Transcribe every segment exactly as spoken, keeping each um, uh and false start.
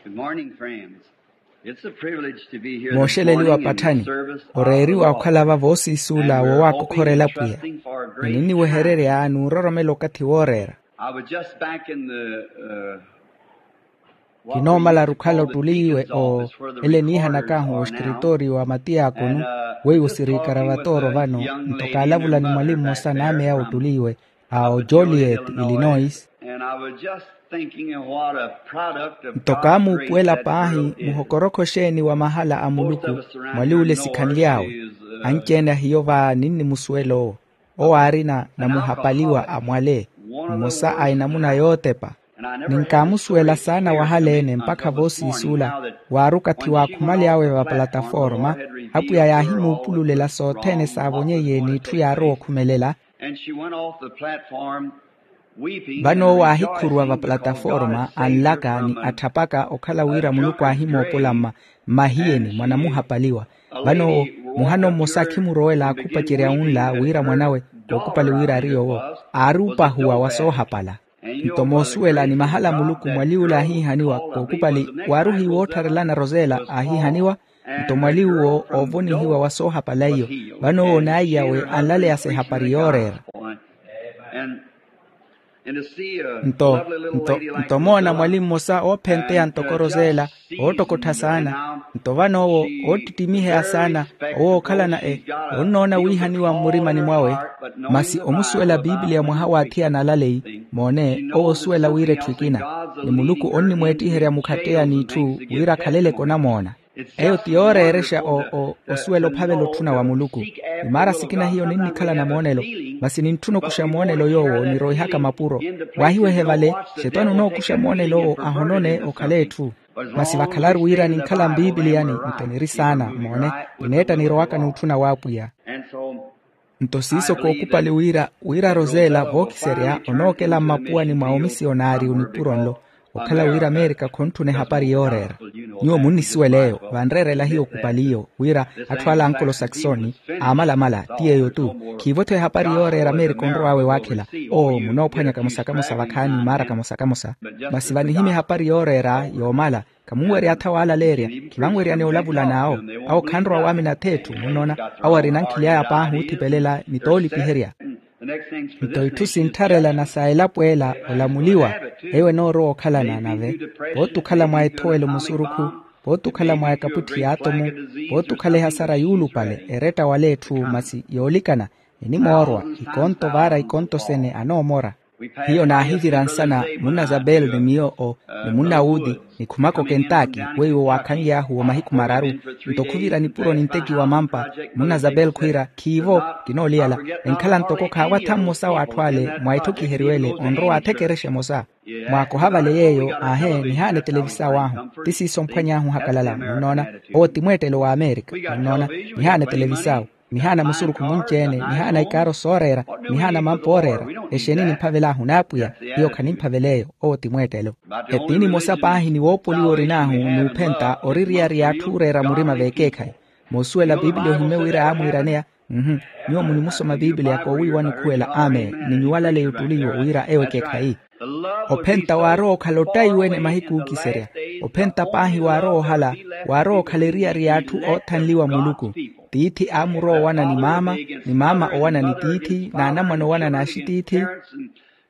Good morning, friends. It's a privilege to be here this morning in the service of the Lord. Mooxeleliwa patthani, oreeriwa okhala vavo oosiisuula woowakokhorela pwiya. Ninniwehererya n'uroromela okathi wooreera. I was just back in the uh, kinoomalaru okhala ottuliiwe. Ele niihanakaahu oxkiritooriyo wa matiyakonu, weiwo siriikara vatooro vano. Nto kaalavula ni mwalimu mmosa naameya ottuliiwe a ojoliet, illinois. Nto kaamuupuwela paahi muhokorokho xeeni wa mahala a muluku mwali ule sikhanly'awe. Anci-ene a hiyo va ninnimusuwela owo. Owo aarina namuhapaliwa a mwale, mmosa a enamuna yootepa. Ninkaamusuwela saana wahaleene mpakha voosiisuula. Waari okathi waakhumaly'awe vapalataforma, apwiya yaahimuupululela sothene saavonyeiye n'itthu yaarowa okhumelela. Vano owo aahikhuruwa vapalataforma anlaka ni atthapaka okhala wira muluku aahimoopola mma, mmahiyeni mwa namuhapaliwa. Vano owo muhano mmosa akhimurowela aakhupacerya wunla wira mwanawe, kookupali wira ari yoowo, aari opahuwa wa soohapala. Nto moosuwela ni mahala a muluku mwali ule aahiihaniwa kookupali, waari ohiiwa oottharelana rosela aahiihaniwa. Nto mwali uwo oovonihiwa wa soohapala iyo. Vano owo n'aiyawe anlaleya sa ehapari yooreera. Nto nto nto moona mwali mmosa oophenteya ntoko rosela, oottokottha saana. Nto vano owo oottittimiheya saana, owo ookhalana e onnoona wiihaniwa mmurimani mwawe. Masi omusuwela piipiliya mwaha w'athiyana alaleyi. Moone, owo osuwela wira etthu ekina, ni muluku onnimweettiherya mukhatteya n'itthu wira akhaleleke onamoona. Eyo ti yooreerexa osuwela ophavela otthuna wa muluku. Ni maara sikina hiyo ninnikhala na moonelo, masi nintthuna okuxa moonelo yoowo niroihaka mapuro. Waahiwehe vale, xetwani onookuxa moonelo owo ahonone okhale etthu. Masi vakhalaru wira ninkhala mpiipiliyani, nto niri saana moone, nineetta nirowaka n'utthuna w'apwiya. Nto siiso kookupali wira wira rosela vookiserya onookela mmapuwani mwa omisiyonari onipuro nlo, okhala wira amerika khontthuna ehapari yooreera. Nyuwo munnisuwela eyo, vanreerela hiyo okupali iyo wira atthu ala ankolosaksoni aamalamala ti yeeyo-tu. Khiivo-tho ehapari yooreera amerika onrow'awe waakhela. Oo munoophwanya kamosa kamosa vakhaani maara kamosa kamosa. Masi vanihimya ehapari yooreera yoomala. Khamunwerya atha waalaleerya, khivanweryani olavula n'awo. Awo khanrowa waamina ath'etthu munnoona. Awo arina nkhili aya paahi oothipelela ni toolipiherya. Nto itthu sinttharelana sa elapo ela olamuliwa. Eyo enoorowa okhalana nave, pooti okhala mwa ethowelo musurukhu, pooti okhala mwa ekaputthi y'atomu, pooti okhala ehasara yuulupale eretta wala etthu masi yoolikana. Enimoorwa ikonto vaara ikonto sene anoomora. Hiyo naahivira nsana munna zabel ni miyo o, ni munna wuti, nikhumaka okentaki weiwo waakhanly'ahu wa mahiku mararu. Nto khuvira nipuro ninteki wa mampa. Munna zabel khwiira khiivo, kinooliyala. Enkhala ntoko khaawattha mmosa w'atthu ale mwa etthu kiheriwele onrowa athekerexa emosa. Mwaakoha vale yeeyo aahe nihaana etelevisaawu ahu. Ti siiso omphwany'ahu ohakalala munnoona. Owo ti mweettelo wa amerika munnoona. Nihaana etelevisaawu, nihaana musurukhu munci-ene, nihaana ikaaro sooreera, nihaana mampa ooreera. Exeeni nimphavel'ahu n'apwiya? Hiyo khanimphavela eyo. Owo ti mweettelo. Etiini emosa paahi ni woopoliwa orin'ahu n'uphenta ori eriyari y'atthu ooreera murima v'ekeekhayi. Moosuwela piipiliya ohimye wira aamwiiraneya. Mhu. Nyuwo munimusoma piipiliya koowiiwani okhuwela amen ni nyuwo alaleya ottuli iwo wira ewo ekeekhayi. Ophenta waarowa okhala ottayi wene mahiku ookiserya. Ophenta paahi waarowa ohala, waarowa okhala eriyari y'atthu oothanliwa muluku. Tiithi aamurowa owana ni maama, ni maama owana ni tiithi n'anamwane owana n'axitiithi.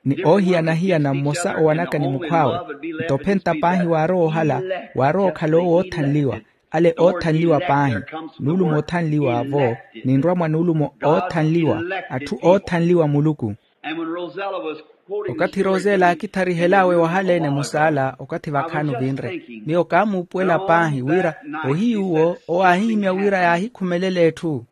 Ni oohiyana-hiyana mmosa owanaka ni mukhw'awe. Nto ophenta paahi waarowa ohala, waarowa okhala owo oothanliwa. Ale oothanliwa paahi. Nuulumo oothanliwa vo, ninrwa mwa nuulumo oothanliwa. Atthu oothanliwa muluku. Okathi rosela aakitharihel'awe wahaleene musaala okathi vakhaani ovinre, miyo kaamuupuwela paahi wira, ohiyu uwo owo aahihimya wira yaahikhumelela etthu.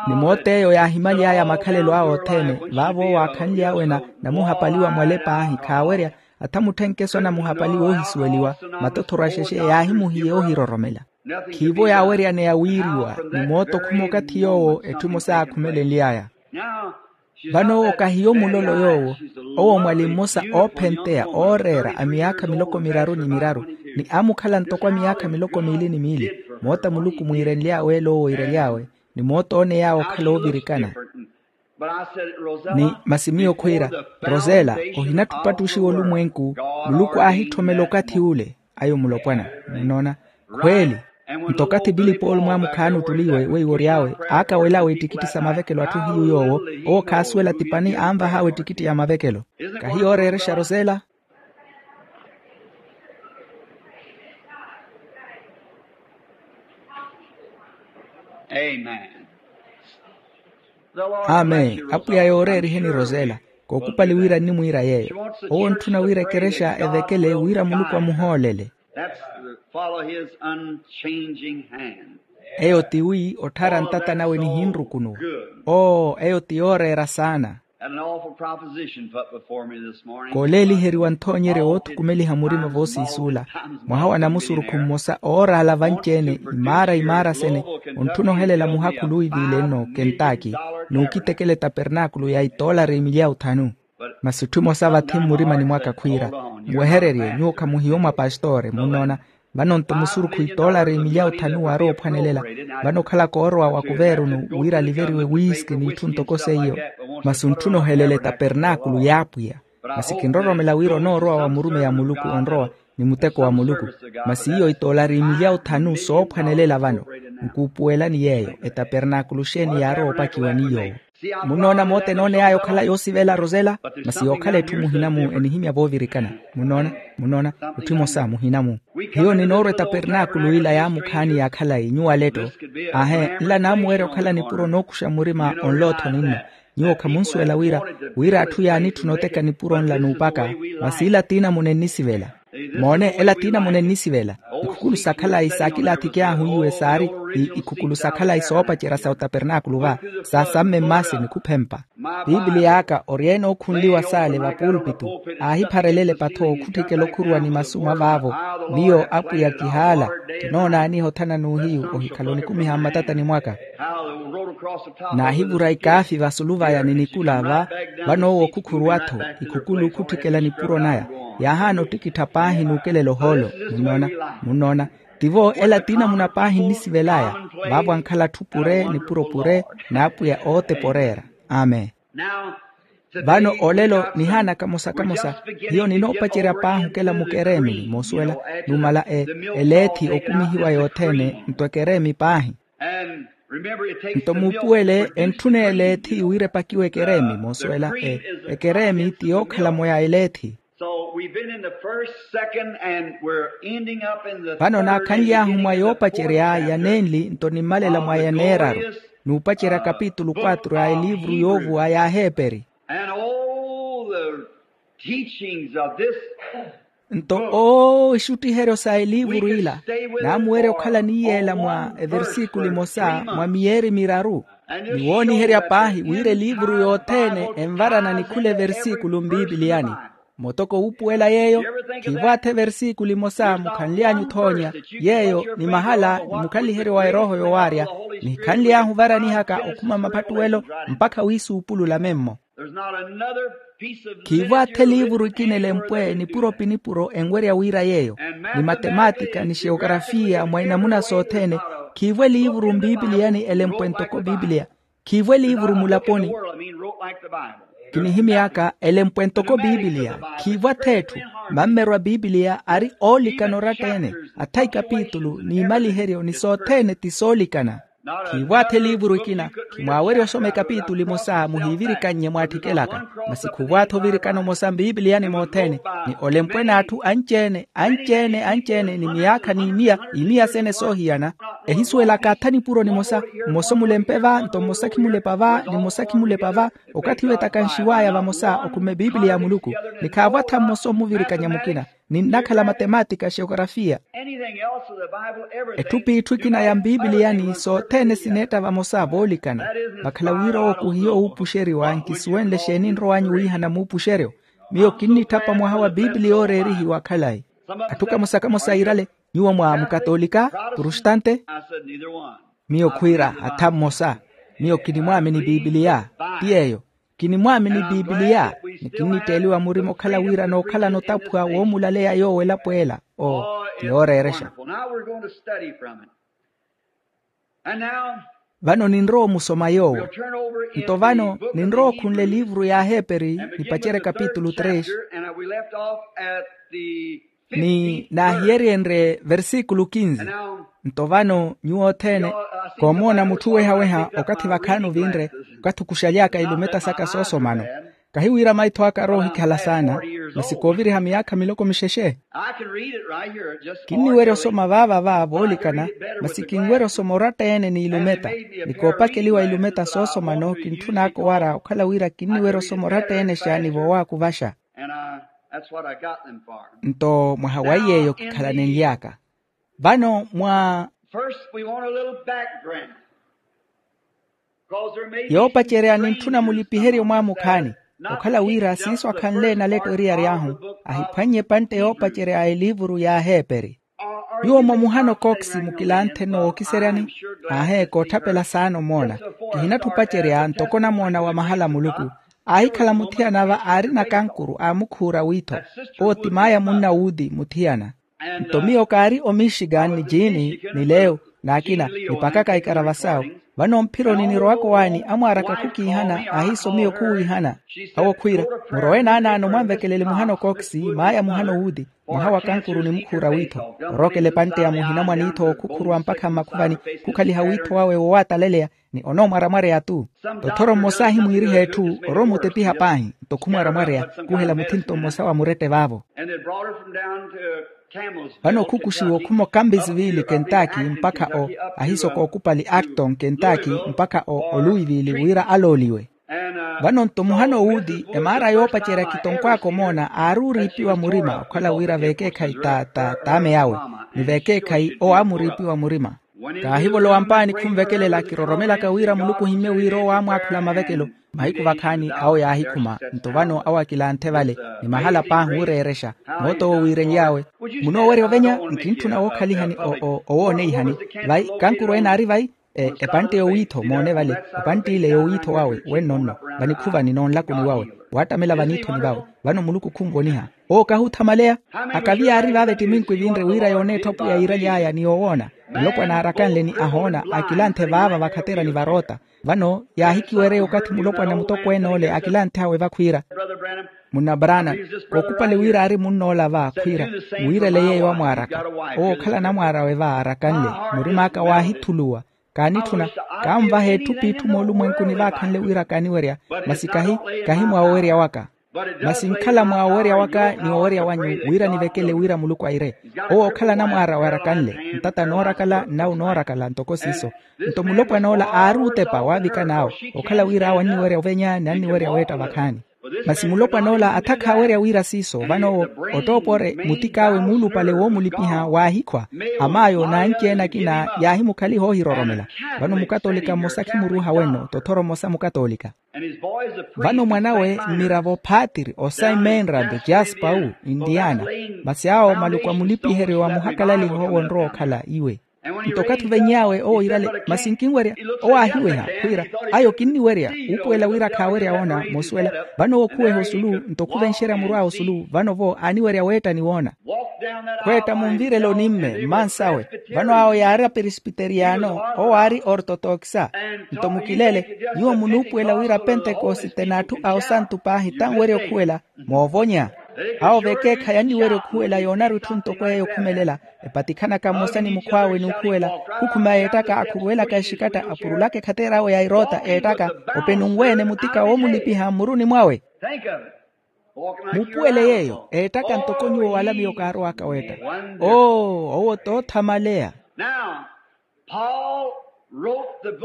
Ni moot'eyo yaahimaly'aya makhalelo awe othene. Vaavo owo aakhanly'awe namuhapaliwa mwale paahi khaawerya. Atha mutthenkeso anamuhapaliwa oohisuweliwa. Matothoro a xexe yaahimuhiye oohiroromela. Khiivo yaaweryaneya wiiriwa ni mooto khuma okathi yoowo etthu emosa yaakhumelenly'aya. Vano owo kahiyo mulolo yoowo. Owo mwali mmosa oophenteya ooreera a miyaakha miloko miraru ni miraru, ni aamukhala ntoko a miyaakha miloko miili ni miili. Moota muluku mwiirenly'awe ele owo oirely'awe, ni moota ooney'awe okhala oovirikana. Ni masi miyo khwiira, rosela, ohinatthu opattuxiwa olumwenku. Muluku aahitthomela okathi ule. Ayo mulopwana, munoona? Khweeli. Nto okathi pili poolo mwaamukhaani ottuliwe weiwo ory'awe, aakawel'awe ettikitti sa mavekelo atthu hiyu yoowo. Owo khaasuwela ti pani anvah'awe ettikitti ya mavekelo. Kahi yooreerexa rosela. Amen. Apwiya yooreeriheni rosela. Kookupali wira nnimwiira yeeyo. Owo ontthuna wira ekerexa evekele wira muluku amuhoolele. Eyo tiwi otthara ntata nawe nihinrukunuwa. Oo eyo ti yooreera saana. Kooleeliheriwa nthoonyeryo woothukumeliha murima voosiisuula. Mwaha wa namusurukhu mmosa ooraala vanci-ene, imaara imaara sene, ontthuna ohelela muhakhulu oiviile-nno kentaki, n'ukitekela etapernaakulu ya itoolari emilyawu thanu. Masi etthu emosa vathi mmurimani mwaka khwiira, muwehererye nyuwo khamuhiyo mwa pastoore munnoona. Vano nto musurukhu itoolari emilyawu thanu waarowa ophwanelela. Vano okhala koorowa wa kuveerunu wira aliveriwe wiiski n'itthu ntoko seiyo. Masi ontthuna ohelela etapernaakulu y'apwiya. Masi kinroromela wira onoorowa wa murumeyi a muluku onrowa, ni muteko wa muluku. Masi iyo itoolari emilyawu thanu soophwanelela vano. Nkuupuwelani yeeyo etapernaakulu xeeni yaarowa opakiwa ni yoowo. Munnoona moota enooney'aya okhala yoosivela rosela. Masi yookhala etthu muhina-mu enihimya voovirikana. Munnoona, munnoona, etthu emosa muhina-mu. Hiyo ninoorwa etapernaakulu ila yaamukhaani ya khalayi nyuwo aletto. Aahe nla naamuweerya okhala nipuro nookuxa murima onlootho ninno. Nyuwo khamunsuwela wira, wira atthu yaanitthuna oteka nipuro nla n'upaka. Masi ila tiinamuna ennisivela. Moone ela tiinamuna ennisivela. Ikhukulu sa khalayi saakilaathikyahu iwe saari ikhukulu sa khalayi soopacerya sa otapernaakulu va, saasamme mmaasi nikhuphempa. Piipiliya aka ori-ene ookhunliwa saale vapuulpitu. Aahipharelele patho okhutthikela okhuruwa ni masu mwa vaavo. Miyo apwiya kihaala. Kinoonaaniha othana n'uhiyu ohikhala onikumiha mmatatani mwaka. Naahivura ikaafi vasulu vaya ni nikula va. Vano owo okhukhuruwa-tho ikhukulu okhutthikela nipuro naya. Yaahaana ottikittha paahi n'ukelela ohoolo. Munnoona, munnoona. Tivo ela tiinamuna paahi nnisivel'aya. Vaavo ankhala atthu pure nipuro pure. N'apwiya ootepa oreera. Amen. Vano olelo nihaana kamosa kamosa. Hiyo ninoopacerya paahi okela mukereemini moosuwela. Numala e eleethi okumihiwa yothene nto ekereemi paahi. Nto muupuwele entthuna eleethi wira epakiwe ekereemi moosuwela. Ekereemi ti yookhala-mo ya eleethi. Vano naakhanly'ahu mwa yoopacerya ya nenli nto nimmalela mwa ya neeraru. N'upacerya kapitulu quatro ya eliivuru yoovuwa ya aheeperi. Nto oo ixuttiheryo sa eliivuru ila naamuweerya okhala ni yeela mwa eversikulu emosa mwa miyeeri miraru. Ni wooniherya paahi wira eliivuru yothene envarana ni khula eversikulu mpiipiliyani. Mutoko wuupuwela yeeyo. Khiivo atha eversikulu emosa mukhanly'anyu othoonya yeeyo ni mahala ni mukhaliheryo wa erooho yowaarya. Nihikhanly'ahu ovaranihaka okhuma maphattuwelo mpakha wiisuupulula memmo. Khiivo atha eliivuru ekina elempwe nipuro pi nipuro enwerya wira yeeyo. Ni matematika ni xeokarafiya mwa inamuna sothene. Khiivo eliivuru mpiipiliyani elempwe ntoko piipiliya. Khiivo eliivuru mulaponi. Kinihimy'aka elempwe ntoko piipiliya. Khiivo atha etthu. Mammerwa piipiliya ari oolikana oratta-ene. Atha ikapitulu n'imaliheryo ni sothene ti soolikana. Khiivo atha eliivuru ekina. Khimwaawerya osoma ekapitulu emosa muhiivirikannye mwaattikelaka. Masi khuvo atha ovirikana omosa mpiipiliyani mothene. Ni olempwe n'atthu anci-ene anci-ene anci-ene ni miyaakha n'imiya imiya sene soohiyana. Ehisuwelaka atha nipuro nimosa. Mmosa omulempe va nto mmosa khimulepa va ni mmosa khimulepa va. Okathi wetakanxiw'aya vamosa okhume piipiliya ya muluku. Ni khaavo atha mmosa omuvirikanya mukina. Ninnakhala matematika xeokarafiya. Etthu p'itthu ekina ya mpiipiliyani sothene sineetta vamosa voolikana. Vakhala wira owo khuhiyo wuupuxeriwa nkisuwenle xeeni nrow'anyu wiihana muupuxeryo. Miyo kinnitthapa mwaha wa piipiliya ooreerihiwa khalayi. Atthu kamosa kamosa iirale. Nyuwo mwa mukatolika, protestante? Miyo khwiira atha mmosa. Miyo kinimwaamini piipiliya. Ti yeeyo. Kinimwaamini piipiliya. Ni kinnitteeliwa murima okhala wira nookhalana otaphwa woomulaleya yoowo elapo ela. Oo ti yooreerexa. Now we're going to study from it. And now Vano ninrowa omusoma yoowo. Nto vano ninrowa okhunla eliivuru y'aheeperi, nipacerya kapitulu tres. Ni naahiyeryenrye versikulu kinzi. Nto vano nyuwo othene koomoona mutthu wehaweha okathi vakhaani ovinre, okathi okuxaly'aka ilumeta saka soosomano. Kahi wira maitho aka arowa ohikhala saana, masi kooviriha miyaakha miloko mixexe. Kinniwerya osoma vaava va voolikana, masi kinwerya osoma oratta-ene n'ilumeta. Ni koopakeliwa ilumeta soosomano kintthun'aka owara okhala wira kinniwerya osoma oratta-ene xaani voowakuvaxa. Nto mwaha wa iy'eyo kikhalanenly'aka vano mwa yoopacerya nintthuna mulipiherye omwaamukhaani. Okhala wira siiso akhanle naletto eriyari ahu, ahiphwannye epantte yoopacerya a eliivuru y'aheeperi. Nyuwo mwa muhano kooksi mukilanthe nookiseryani? Aaheeka otthapela saana omoona. Kihinatthi opacerya ntoko namoona wa mahala a muluku. Aahikhala muthiyana va aarina kankuru aamukhuura wiitho. Owo ti maaya munna wuuti muthiyana. Nto miyo kaari omixikan ni jini ni leo n'akina nipakaka ikarava sawo. Vano mphironi nirowaka owaani amwaaraka khukiihana ahiiso miyo khuwiihana. Awo khwiira, murowe naanaano mwanvekelele muhano kooksi maaya muhano wuuti, mwaha wa kankuru ni mukhuura wiitho. Orookela epantte ya muhina mwa niitho ookhukhuruwa mpakha mmakhuvani, khukhaliha wiitho wawe wowaataleleya. Ni onoomwaramwareya-tu. Tothoro mmosa ahimwiiriha etthu orowa omutepiha paahi. Nto khumwaramwareya, khuhela muthinto mmosa wa murette vaavo. Vano khukuxiwa okhuma okampizi viili kentaki mpakha o ahiiso kookupali acton kentaki mpakha o oluivili wira alooliwe. Vano nto muhano wuuti emaara yoopacerya kitonkw'aka omoona aari oriipiwa murima okhala wira veekeekhayi ta ta t'ame awe. Ni veekeekhayi owo aamuriipiwa murima. Kaahivolowa mpaani khunvekelela kiroromelaka wira muluku ohimmye wira owo aamwaakhula mavekelo. Mahiku vakhaani awo yaahikhuma nto vano awo akilanthe vale. Ni mahala paahi ooreerexa moot'owo wiirenly'awe. Munoowerya ovenya? Nkintthuna wookhalihani owooneihani. Vai kankuru ene aari vai? Epantte yowiitho moone vale. Epantte ile yowiitho wawe wenno nno vanikhuvani noonlakuni wawe waattamela vaniithoni vawe. Vano muluku khunvoniha. Owo kahuuthamaleya. Akavi yaari vaave ttiminku evinre wira yoone etthu apwiya yiiraly'aya ni yoowoona. Mulopwana aarakanle ni ahoona akilanthe vaava vakhatera ni varoota. Vano yaahikiwereya okathi mulopwana mutokweene ole akilanthe awe vakhwiira, munna brana, kookupale wira aari munn'ola va khwiira, mwiirele yeeyo amwaaraka. Owo okhala anamwaar'awe va aarakanle. Murim'aka waahithuluwa. Kaanitthuna. Kaanvaha etthu p'itthu moolumwenkuni vaakhanle wira kaaniwerya. Masi kahi kahi mwa owerya waka. Masi nkhala mwa owerya waka ni owerya wanyu wira nivekele wira muluku aire. Owo okhala anamwaar'awe arakanle. Ntata noorakala nnawu noorakala ntoko siiso. Nto mulopwan'ola aari utepa waavikan'awe okhala wira awo anniwerya ovenya ni anniwerya weetta vakhaani. Masi mulopwan'ola atha khaawerya wira siiso vano owo ottoopore mutik'awe muulupale woomulipiha waahikhwa. Amaayo n'anci-ene akina yaahimukhaliha oohiroromela. Vano mukatolika mmosa khimuruuha wenno tothoro mmosa mukatolika. Vano mwan'awe mmiravo phaatiri osayi menrado jaspawu, indiana. Masi awo maluku a mulipiheryo wa muhakalaliho wonrowa okhala iwe. Nto okathi oveny'awe owo iirale. Masi nkinwerya. Owo aahiweha khwiira, ayo kinniwerya. Uupuwela wira khaawerya woona moosuwela. Vano owo khuweha osulu nto khuvenxerya muru awe osulu vano-vo aaniwerya weetta ni woona. Khweetta munvirele onimme mmansawe. Vano awo yaari aperesipiteriyano. Owo aari ortotokisa. Nto mukilele, nyuwo munuupuwela wira pentekosite n'atthu a osantu paahi tanwerya okhuwela. Moovonya. Awo vekeekhayi anniwerya okhuwela yoonaru etthu ntoko eyo okhumelela. Epatikhanaka mmosa ni mukhw'awe n'ukhuwela. Khukhuma yeettaka akhuruwelaka exikatta apurulaka ekhateer'awe ya eroota eettaka. Openunwe-ene mutika woomulipiha mmuruni mwawe. Muupuwele yeeyo eettaka ntoko nyuwo wala miyo kaarowaka weetta. Oo owo t'othamaleya.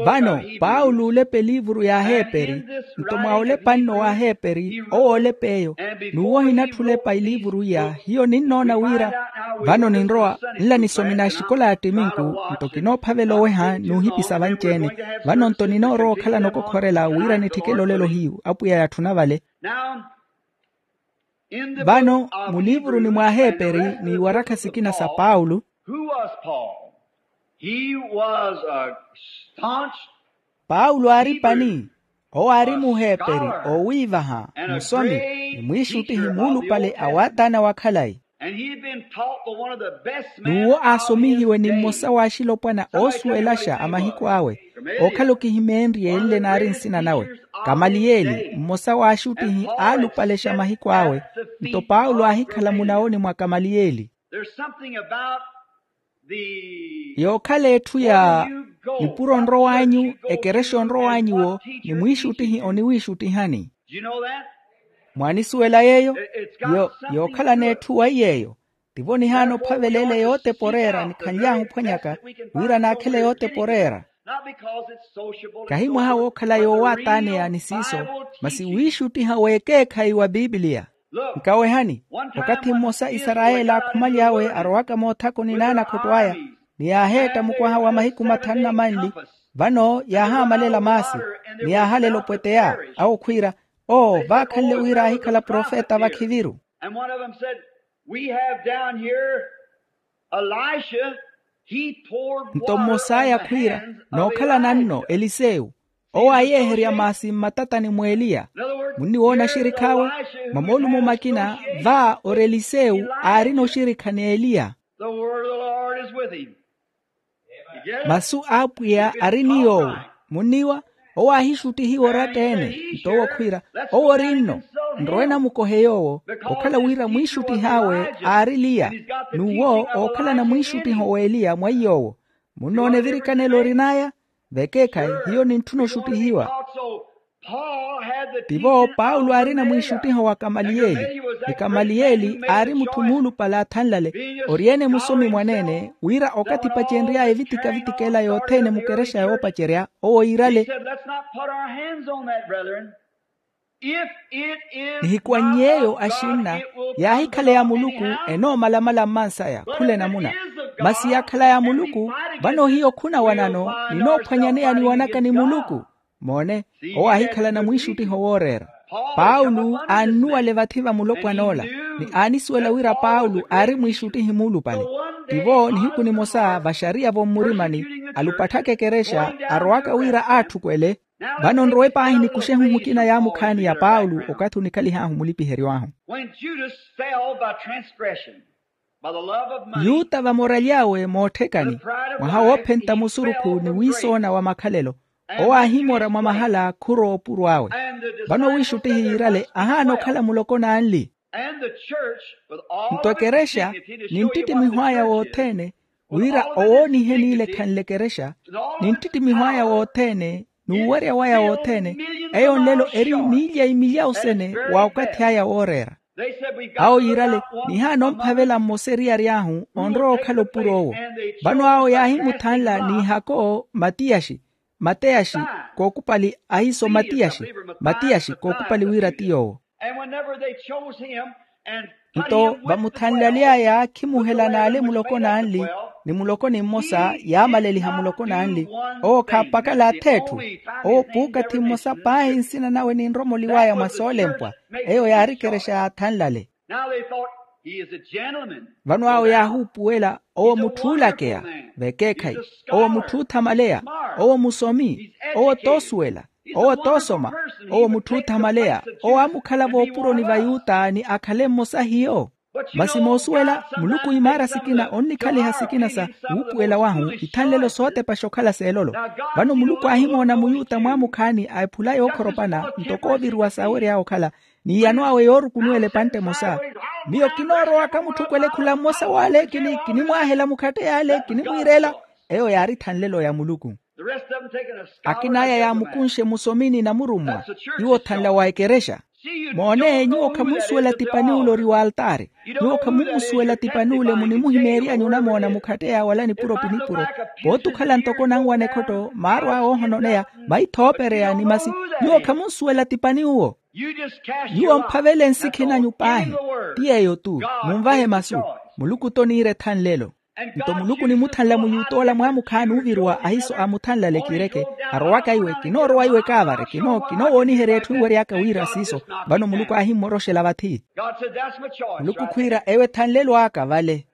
Vano paulo oolepa eliivuru y'aheeperi. Nto mwa oolepa nno w'aheeperi owo oolepa eyo. N'uwo ohinatthi olepa eliivuru iya hiyo ninnoona wira vano ninrowa nla nisomina axikola ya ttiminku. Nto kinoophavela oweha n'uhipisa vanci-ene. Vano nto ninoorowa okhalana okokhorela wira nitthikele olelo hiyu apwiya yatthuna vale. Vano muliivuruni mw'aheeperi n'iwarakha sikina sa paulo. Who was paul? He was a staunch. Paulo aari pani. Owo aari muheeperi oowiivaha, musomi, ni mwiixuttihi muulupale a waataana wa khalayi. And he had been taught by one of the best men. N'uwo aasomihiwe ni mmosa w'axilopwana oosuwelaxa a mahiku awe, ookhala okihimeenrye enle naari nsina nawe, kamaliyeli mmosa w'axuttihi aalupalexa mahiku awe. Nto paulo aahikhala munawoni mwa kamaliyeli. There's something about the yookhala etthu ya nipuro onrow'anyu, ekerexa onrow'anyu-wo ni mwiixuttihi oniwiixuttihani. Do you know that? Mwaanisuwela yeeyo? Yo yookhala n'etthu waiy'eyo. Tivo nihaana ophavela ele yootepa oreera nikhanly'ahu ophwanyaka, wira naakhele yootepa oreera. Kahi mwaha wookhala yoowaataaneya ni siiso, masi wiixuttiha w'ekeekhayi wa pipiliya. Nkawehani, okathi mmosa isarayeli aakhumaly'awe arowaka moothakoni n'anakhotto aya, ni yaaheetta mukwaha wa mahiku mathanu na manli, vano yaahaamalela maasi, ni yaahalela opweteya awo khwiira, oo vaakhanle wira aahikhala profeta vakhiviru. And one of them said, we have down here elisha. He poured water on the hands of elijah. Nto mmos'aya khwiira, nookhalana nno elisewu, owo aayeeherya maasi mmatatani mw'eliya. Munniwoona oxirikhawe? Mwa moolumo makina, va ori elisewu aarina oxirikha n'eliya. The word of the lord is with him. Masu a apwiya ari ni yoowo. Munniwa? Owo aahixuttihiwa oratta-ene. Nto owo khwiira, owo ori nno, nrowe namukohe yoowo, okhala wira mwiixuttih'awe aari eliya. N'uwo ookhalana mwiixuttiho w'eliya mwaiy'owo. Munnoona evirikanelo orin'aya? Vekeekhayi hiyo nintthuna oxuttihiwa. Tivo paulo aarina mwiixuttiho wa kamaliyeli, ni kamaliyeli aari mutthu muulupale athanlale, ori-ene musomi mwaneene wira okathi epacenry'aya evitikavitikeela yothene mukerexa yoopacerya owo iirale. Nihikwannyeeyo axinna, yaahikhala ya muluku, enoomalamala mmansaya khula enamuna. Masi yaakhala ya muluku, vano hiyo khunawanano, ninoophwanyaneya niwanaka ni muluku. Moone, owo aahikhalana mwiixuttiho wooreera. Paulo aannuwale vathi va mulopwan'ola, ni aanisuwela wira paulo aari mwiixuttihi muulupale. Tivo nihiku nimosa vaxariya vommurimani, alupatthaka ekerexa arowaka wira aatthukwele. Vano nrowe paahi nikuxe ehuhukina yaamukhaani ya paulo okathi onikhalihahu mulipiheryo ahu. When judas fell by transgression, yuta vamoraly'awe mootthekani, mwaha woophenta musurukhu ni wiisoona wa makhalelo, owo aahimora mwa mahala khurowa opuro awe. Vano wiixuttihi yiirale ahaana okhala muloko n'anli. Nto ekerexa, ni nttittimiho aya wothene, wira owoonihe n'ile ekhanle ekerexa, ni nttittimiho aya wothene, n'uwerya waya wothene, eyo nlelo eri miilya imilya osene wa okathi aya wooreera. Awo yiirale, nihaana omphavela mmosa eriyari ahu onrowa okhala opuro owo. Vano awo yaahimuthanla n'ihako matiyaxi, mateyaxi, kookupali ahiiso matiyaxi, matiyaxi kookupali wira ti yoowo. Nto vamuthanlaly'aya khimuhela n'ale muloko n'anli, ni muloko ni mmosa yaamaleliha muloko n'anli. Owo khaapakala ath'etthu. Owo puukathi mmosa paahi nsina nawe ninromoliw'aya mwa soolempwa. Eyo yaari ekerexa yaathanlale. Vano awo yaahuupuwela, owo mutthu oolakeya, vekeekhayi, owo mutthu oothamaleya, owo musomi, owo toosuwela, owo toosoma, owo mutthu oothamaleya, owo aamukhala voopuroni va yuta ni akhale mmosa hiyo. Masi moosuwela, muluku imaara sikina onnikhaliha sikina sa wuupuwela wahu ithanlelo sootepaxa okhala s'elolo. Vano muluku aahimoona muyuta mwaamukhaani a ephula yookhoropana ntoko ooviriwa saawery'awe okhala, n'iyano awe yoorukunuwela epantte emosa. Miyo kinoorowaka mutthu okwelekhula mmosa w'ale kini kinimwaahela mukhatte y'ale kinimwiirela. Eyo yaari ithanlelo ya muluku. Akin'aya yaamukunxe musomini na murummwa. Iwo othanla wa ekerexa. Moone nyuwo khamunsuwela tipaniwule ori w'altaari. Nyuwo khamunmusuwela tipaniwule munimuhimeery'anyu onamoona mukhatte ya wala nipuro pinipuro. Pooti okhala ntoko nanwana ekhotto maarwa woohononeya maitha oopereya ni masi. Nyuwo khamunsuwela tipaniwuwo. Nyuwo mphavele nsikhi nanyu paahi. Ti yeeyo-tu. Munvahe masu. Muluku-to oniira ethanlelo. Nto muluku onimuthanla muyut'ola mwaamukhaani ooviriwa ahiiso aamuthanlale kiireke. Arowaka iwe kinoorowa iwe kaavare kino kinoowooniherya etthu enwery'aka wira siiso. Vano muluku aahimmoroxela vathi. Muluku khwiira eyo ethanlelo aka vale.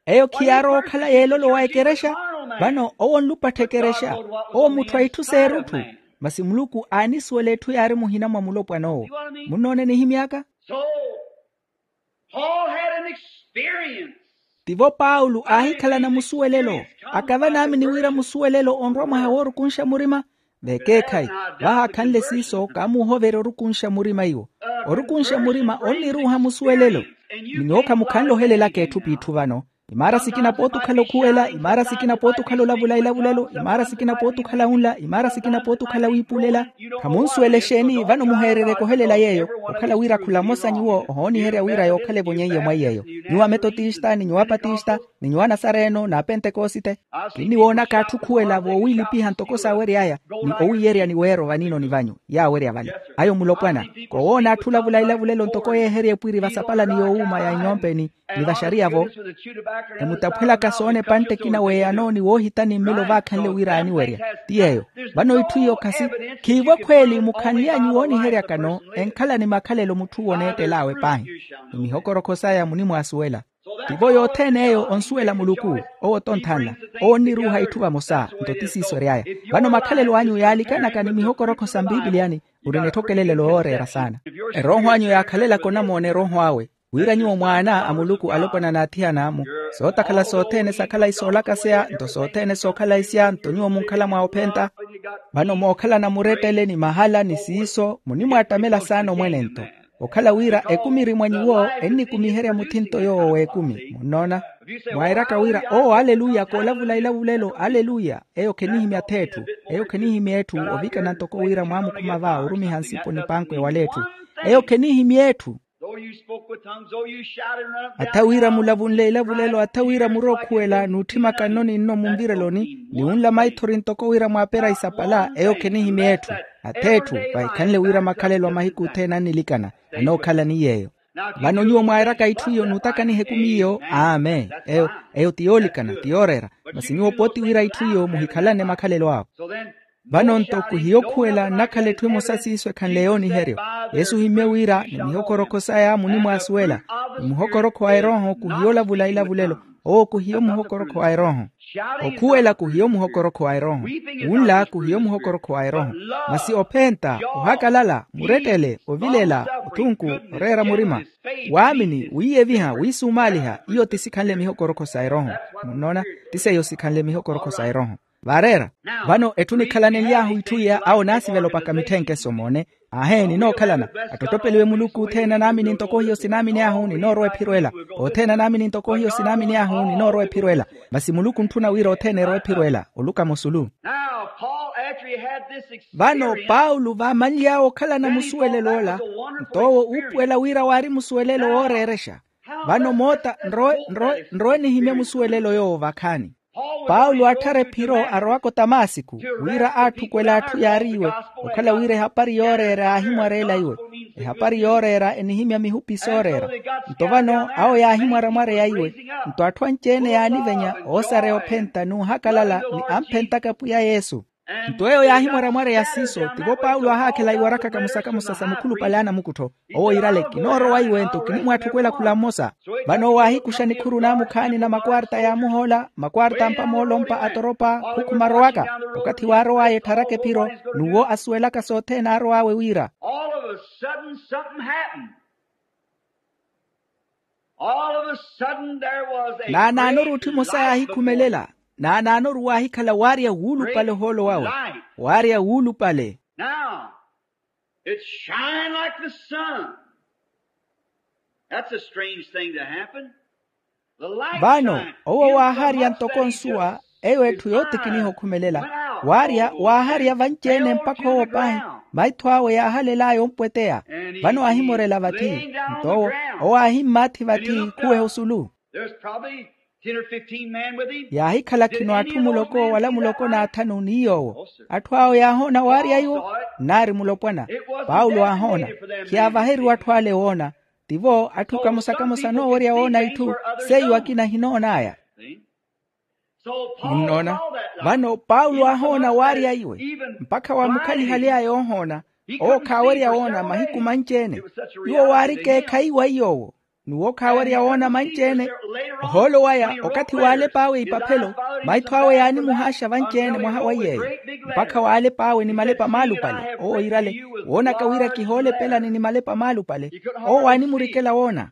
Eyo khiyaarowa okhala yeelolo wa ekerexa? Vano owo onlupattha ekerexa. Owo mutthu a itthu s'erutthu. Masi muluku aanisuwela etthu yaari muhina mwa mulopwan'owo. Munnoona enihimy'aka? Paul had an experience. Tivo paulo aahikhalana musuwelelo. Akava naamini wira musuwelelo onrwa mwaha woorukunxa murima. Vekeekhayi, vahaakhanle siiso kaamuuhoverya orukunxa murima iwo. Orukunxa murima onniruuha musuwelelo. Ni nyuwo khamukhanle ohelelaka etthu p'itthu vano. Imaara sikina pooti okhala okhuwela, imaara sikina pooti okhala olavula ilavulelo, imaara sikina pooti okhala wunla, imaara sikina pooti okhala wiipulela. Khamunsuwela exeeni vano muheereryeke ohelela yeeyo? Okhala wira khula mmosa nyuwo ohooniherya wira yookhale evonyeiye mwa iy'eyo. Nyuwo ametotista ni nyuwo apatista, ni nyuwo anasareno n'apentekosite. Kinniwoonaka atthu okhuwela voowiilipiha ntoko saawery'aya, ni owiiyerya ni weero vaniinoni vanyu yaawerya vale. Ayo mulopwana, koowoona atthu olavula ilavulelo ntoko yeeherya epwiri vasapalani yoowuuma ya inyompe ni, ni vaxariya-vo. Emutaphwelaka soona epantte ekina w'eyano ni woohitani mmelo vaakhanle wira aaniwerya. Ti yeeyo. Vano itthu iyo khasi, khiivo ekhweeli mukhanly'anyu wooniheryakano enkhala ni makhalelo mutthu oneettel'awe paahi, ni mihokorokho saya munimwaasuwela. Tivo yothene eyo onsuwela muluku. Owo tonthanla. Owo onniruuha itthu vamosa nto ti siiso ery'aya. Vano makhalelo anyu yaalikanaka ni mihokorokho sa mpipiliyani, uri n'etthokelelelo yooreera saana. Erooho anyu yaakhalelaka onamoona erooho awe, wira nyuwo mwaana a muluku alopwana n'athiyana-mu. Sootakhala sothene sakhalayi soolakaseya nto sothene sookhalayi siya nto nyuwo munkhala mwa ophenta. Vano mookhalana murettele ni mahala ni siiso munimwaattamela saana omwene-nto. Okhala wira ekumi eri mwa nyuwo ennikumiherya muthinto yoowo w'ekumi munnoona. Mwairaka wira owo aleluya koolavula ilavulelo aleluya. Eyo khenihimya th'etthu. Eyo khenihimya etthu. Ovikana ntoko wira mwaamukhuma va orumiha nsipo ni panko ewala etthu. Eyo khenihimya etthu. Atha wira mulavunle ilavulelo atha wira murookhuwela n'utthimakanno ninno munvireloni ni wunla maithori ntoko wira mwaapera isapala eyo khenihimya etthu. Atha etthu. Vahikhanle wira makhalelo a mahiku othene annilikana anookhala ni yeeyo. Vano nyuwo mwairaka itthu iyo n'utakaniha ekumi iyo amen. Eyo eyo ti yoolikana ti yooreera. Masi nyuwo pooti wira itthu iyo muhikhalane makhalelo awe. Vano-nto kuhiyo okhuwela nnakhala etthu emosa siiso ekhanle yooniheryo. Yesu ohimmye wira ni mihokorokho saya munimwaasuwela. Ni muhokorokho wa erooho kuhiyo olavula ilavulelo. Owo kuhiyo muhokorokho wa erooho. Okhuwela kuhiyo muhokorokho wa erooho. Wunla kuhiyo muhokorokho wa erooho. Masi ophenta, ohakalala, murettele, ovilela, othunku, oreera murima, waamini wiiyeviha wiisumaaliha iyo ti sikhanle mihokorokho sa erooho. Munnoona? Ti seiyo sikhanle mihokorokho sa erooho. Vaareera. Vano etthu nikhalanenly'ahu itthu iya awo naasivela opaka mitthenkeso moone. Aahe ninookhalana. Attottopeliwe muluku othene anaamini ntoko hiyo sinaamini ahu ninoorowa ephiro ela. Othene anaamini ntoko hiyo sinaamini ahu ninoorowa ephiro ela. Masi muluku ontthuna wira othene erowa ephiro ela oluka musulu. Vano paulo vaamanly'awe okhalana musuwelelo ola, nto owo uupuwela wira waari musuwelelo wooreerexa. Vano moota nrowe nrowe nrowe nihimye musuwelelo yoowo vakhaani. Paulo aatthara ephiro arowaka otamasiku, wira aatthukwela atthu yaariiwe, okhala wira ehapari yooreera yaahimwareela iwe. Ehapari yooreera enihimya mihupi sooreera. Nto vano awo yaahimwaramwareya iwe. Nto atthu anci-ene yaanivenya oosareya ophenta n'uhakalala ni amphentaka pwiya yesu. Nto eyo yaahimwaramwareya siiso tivo paulo aahaakhela iwaraka kamosa-kamosa sa mukhulupale a anamukuttho. Owo iirale kinoorowa iwe nto kinimwaatthukwela khula mmosa. Vano owo aahikuxa nikhuru naamukhaani na makwarta yaamuhoola makwarta ampa moolompa atoropa khukhuma arowaka. Okathi waarow'aya ettharaka ephiro n'uwo asuwelaka sothene aarow'awe wira. All of a sudden something happened. All of a sudden there was a naanaanoru great otthi emosa light yaahikhumelela before. Naanaanoru waahikhala waarya wuulupale ohoolo wawe. Light. Waarya wuulupale. Now, it shined like the sun. That's a strange thing to happen. Vano owo waaharya ntoko nsuwa. Eyo etthu yootikiniha okhumelela waarya waaharya vanci-ene mpakha owo paahi. Maitho awe yaahalel'aya ompweteya. Vano aahimorela vathi. Nto owo owo aahimmaathi vathi khuweha osulu. Yaahikhala khino atthu muloko wala muloko n'athanu ni yoowo. Atthu awo yaahoona waarya iwo. Nnaari mulopwana. Paulo aahoona. Khiyaavaheriwa atthu ale woona. Tivo atthu kamosa-kamosa noowerya woona itthu seiyo akina ahinoon'aya. Munnoona? Vano paulo aahoona waarya iwe. Mpakha waamukhalihaly'aya oohoona. Owo khaawerya woona mahiku manci-ene. Iwo waari keekhayi wa iy'owo. N'uwo khaawerya woona manci-ene. Ohoolo waya okathi w'alep'awe ipaphelo, maitho awe yaanimuhaaxa vanci-ene mwaha wa iyeeyo, mpakha w'alep'awe ni malepa maalupale owo iirale, woonaka wira kihoolepelani ni malepa maalupale. Owo waanimurikela woona.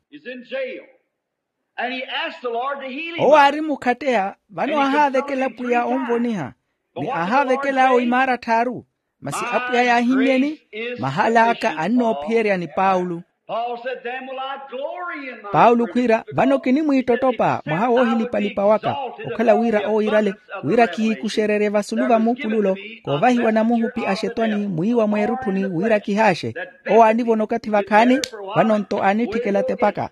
Owo aari mukhatteya. Vano aahaavekela pwiya onvoniha, ni aahaavekel'awe imaara tthaaru. Masi apwiya yaahimmyeni, mahal'aka annoophiyerya ni paulo. Paulo khwiira, vano kinimwiittottopa mwaha woohilipalipa waka, okhala wira owo iirale, wira kihiikuxererye vasulu va muupululo, koovahiwa namuhupi a xetwani mwiiwa mweerutthuni wira kihaaxe. Owo aanivona okathi vakhaani, vano-nto aanitthikela tepaka.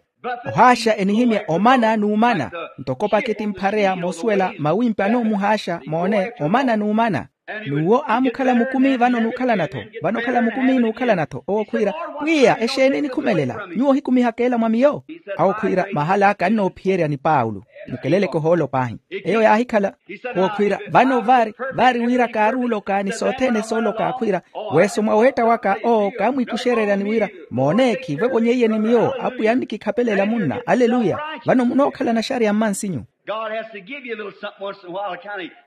Ohaaxa enihimya omana n'umana, ntoko paketi mphareya moosuwela mawimpi anoomuhaaxa moone omana n'umana. N'uwo aamukhala mukumi vano n'ukhalana-tho, vano okhala mukumi n'ukhalana-tho owo khwiira, pwiya exeeni enikhumelela? Nyuwo ohikumihaka ela mwa miyo. Awo khwiira, mahal'aka annoophiyerya ni paulo. Mukeleleke ohoolo paahi. Eyo yaahikhala. Owo khwiira, vano vaari, vaari wira kaaruuloka ni sothene sooloka khwiira, weeso mwa weetta waka owo kaamwiikuxererya ni wira, moone khiivevonyeiye ni miyo apwiya annikikhapelela munna aleluya. Vano munookhalana xariya mmansinyu.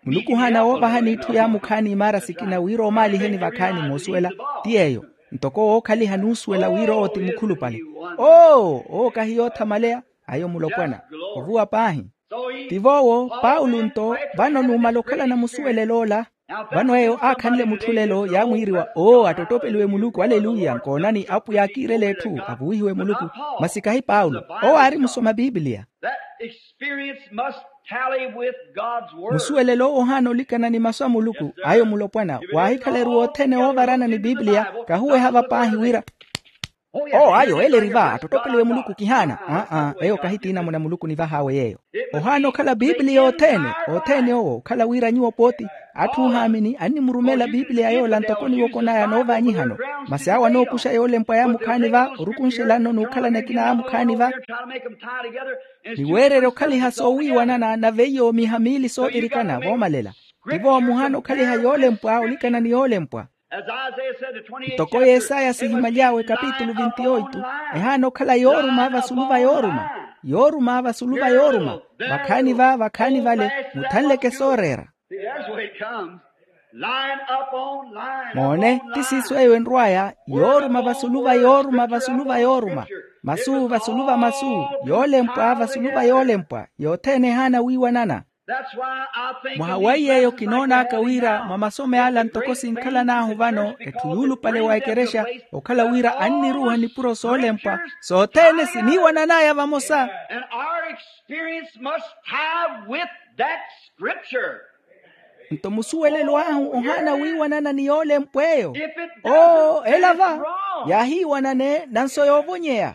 Muluku ohaana woovahani itthu yaamukhaani imaara sikina wira omaaliheni vakhaani moosuwela. Ti yeeyo. Ntoko wookhaliha n'usuwela wira owo ti mukhulupale. Oo owo kahi yoothamaleya. Ayo mulopwana. Ovuwa paahi. Tivo owo paulo-nto, vano numala okhalana musuwelelo ola. Vano eyo aakhanle mutthulelo yaamwiiriwa oo attottopeliwe muluku aleluya nkoonani apwiya akiirela etthu avuwihiwe muluku. Masi kahi paulo. Owo aari musoma pipiliya. Musuwelelo owo ohaana olikana ni masu a muluku ayo mulopwana waahikhala eruwa othene oovarana ni pipiliya. Kahuweha va paahi wira oo ayo ele eri va attottopeliwe muluku kihaana. Aa eyo kahi tiinamuna muluku nivahaawe yeeyo. Ohaana okhala pipiliya othene. Othene owo okhala wira nyuwo pooti atthu oohaamini annimurumela pipiliya yoola ntoko niwokon'aya noovaanyihano. Masi awo anookuxa yoolempwa yaamukhaani va orukunxelano n'ukhalana ekina yaamukhaani va. Niweererya okhaliha soowiiwanana nave iyo miiha miili soovirikana voomalela. Tivo muhaana okhaliha yoolempwa olikana ni yoolempwa. Ntoko yesaya sihimaly'awe kapitulu vinti oitu, ehaana okhala yooruma vasulu va yooruma. Yooruma vasulu va yooruma. Vakhaani va vakhaani vale muthanleke sooreera. Moone ti siiso eyo enrw'aya. Yooruma vasulu va yooruma vasulu va yooruma. Masu vasulu va masu. Yoolempwa vasulu va yoolempwa. Yothene ehaana wiiwanana. Mwaha wa iy'eyo kinoon'aka wira mwa masom'ala ntoko sinkhalan'ahu vano etthu yuulupale wa ekerexa, okhala wira anniruuha nipuro soolempwa sothene siniiwanan'aya vamosa. Nto musuwelelo ahu ohaana wiiwanana ni yoolempwa eyo. Oo ela va yaahiiwanane nanso yoovonyeya.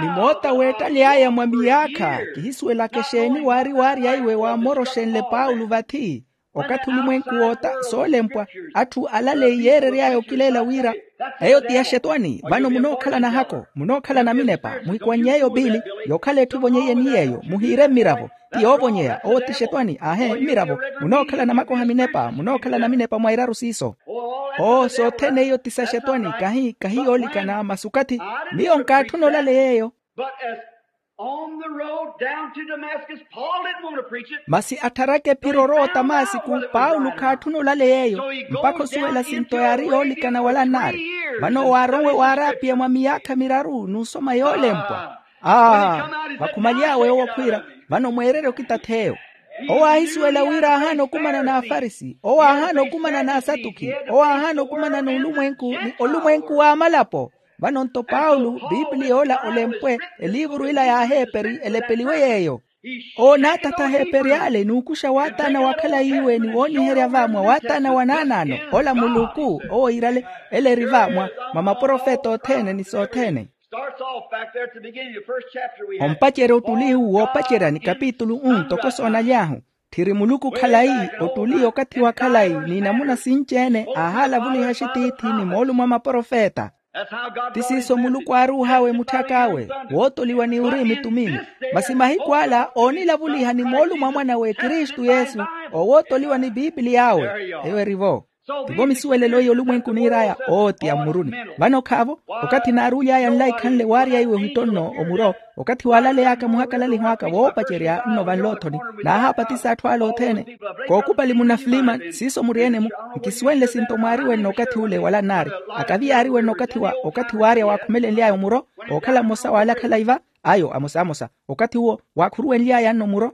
Ni moota weettaly'aya mwa miyaakha kihisuwelaka exeeni waari waarya iwe waamoroxenle paulo vathi. Okathi olumwenku woota soolempwa atthu alale iyeerery'aya okileela wira eyo ti ya xetwani vano munookhala nahako munookhala naminepa muhikwanny'eyo piili. Yookhala etthu evonyeiye ni yeeyo muhiire mmiravo ti yoovonyeya owo ti xetwani aahe mmiravo. Munookhala namakoha minepa munookhala naminepa mwa iraru siiso. Oo sothene iyo ti sa xetwani kahi kahi yoolikana masi okathi miyo nkaatthuna olale yeeyo. But as on the road down to Damascus, Paul didn't want to preach it. Masi attharaka ephiro orowa otamasiku paulo khaatthuna olale yeeyo. Mpakha osuwela sinto yaari yoolikana wala nnaari. Vano waarowe waaraapiya mwa miyaakha miraru n'usoma yoolempwa. Aa vakhumaly'awe owo khwiira vano mweererye okitath'eyo. Owo aahisuwela wira aahaana okumana n'afarisi owo aahaana okumana n'asatukhi owo aahaana okumana n'ulumwenku ni olumwenku w'amalapo. Vano-nto paulo piipiliya ola olempwe eliivuru ila y'aheeperi elepeliwe yeeyo. Owo naatatha aheeperi ale n'ukuxa waataana wa khalayi iwe ni wooniherya va mwa waataana wa naanaano ola muluku owo iirale ele eri va mwa maprofeta othene ni sothene. Ompacerya ottuli uwo woopacerya ni kapitulu u ntoko soonaly'ahu. Tthiri muluku khalayi ottuli okathi wa khalayi n'inamuna sinci-ene aahaalavuliha axitiithi ni moolumo a maprofeta. Ti siiso muluku aaruuh'awe mutthak'awe wootoliwa ni uriimi tumini. Masi mahiku ala oonilavuliha ni moolumo a mwan'awe kristu yesu owootoliwa ni piipiliy'awe. Eyo eri-vo. Tivo misuwelelo iyo olumwenku niir'aya ootiya mmuruni. Vano khaavo, okathi naaruly'aya nlaikhanle waarya iwe ohittonno omuro, okathi waalaley'aka muhakalaliho aka woopacerya nno vanloothoni, naahaapatisa atthu ale othene. Kookupali munafilima siiso muri-ene-mu. Nkisuwenle sinto mwaariwenno okathi ule wala nnaari, akavi yaariwenno okathi wa okathi waarya waakhumelenly'aya omuro, ookhala mmosa w'ale akhala iva, ayo amosamosa. Okathi uwo waakhuruwenly'aya nno muro.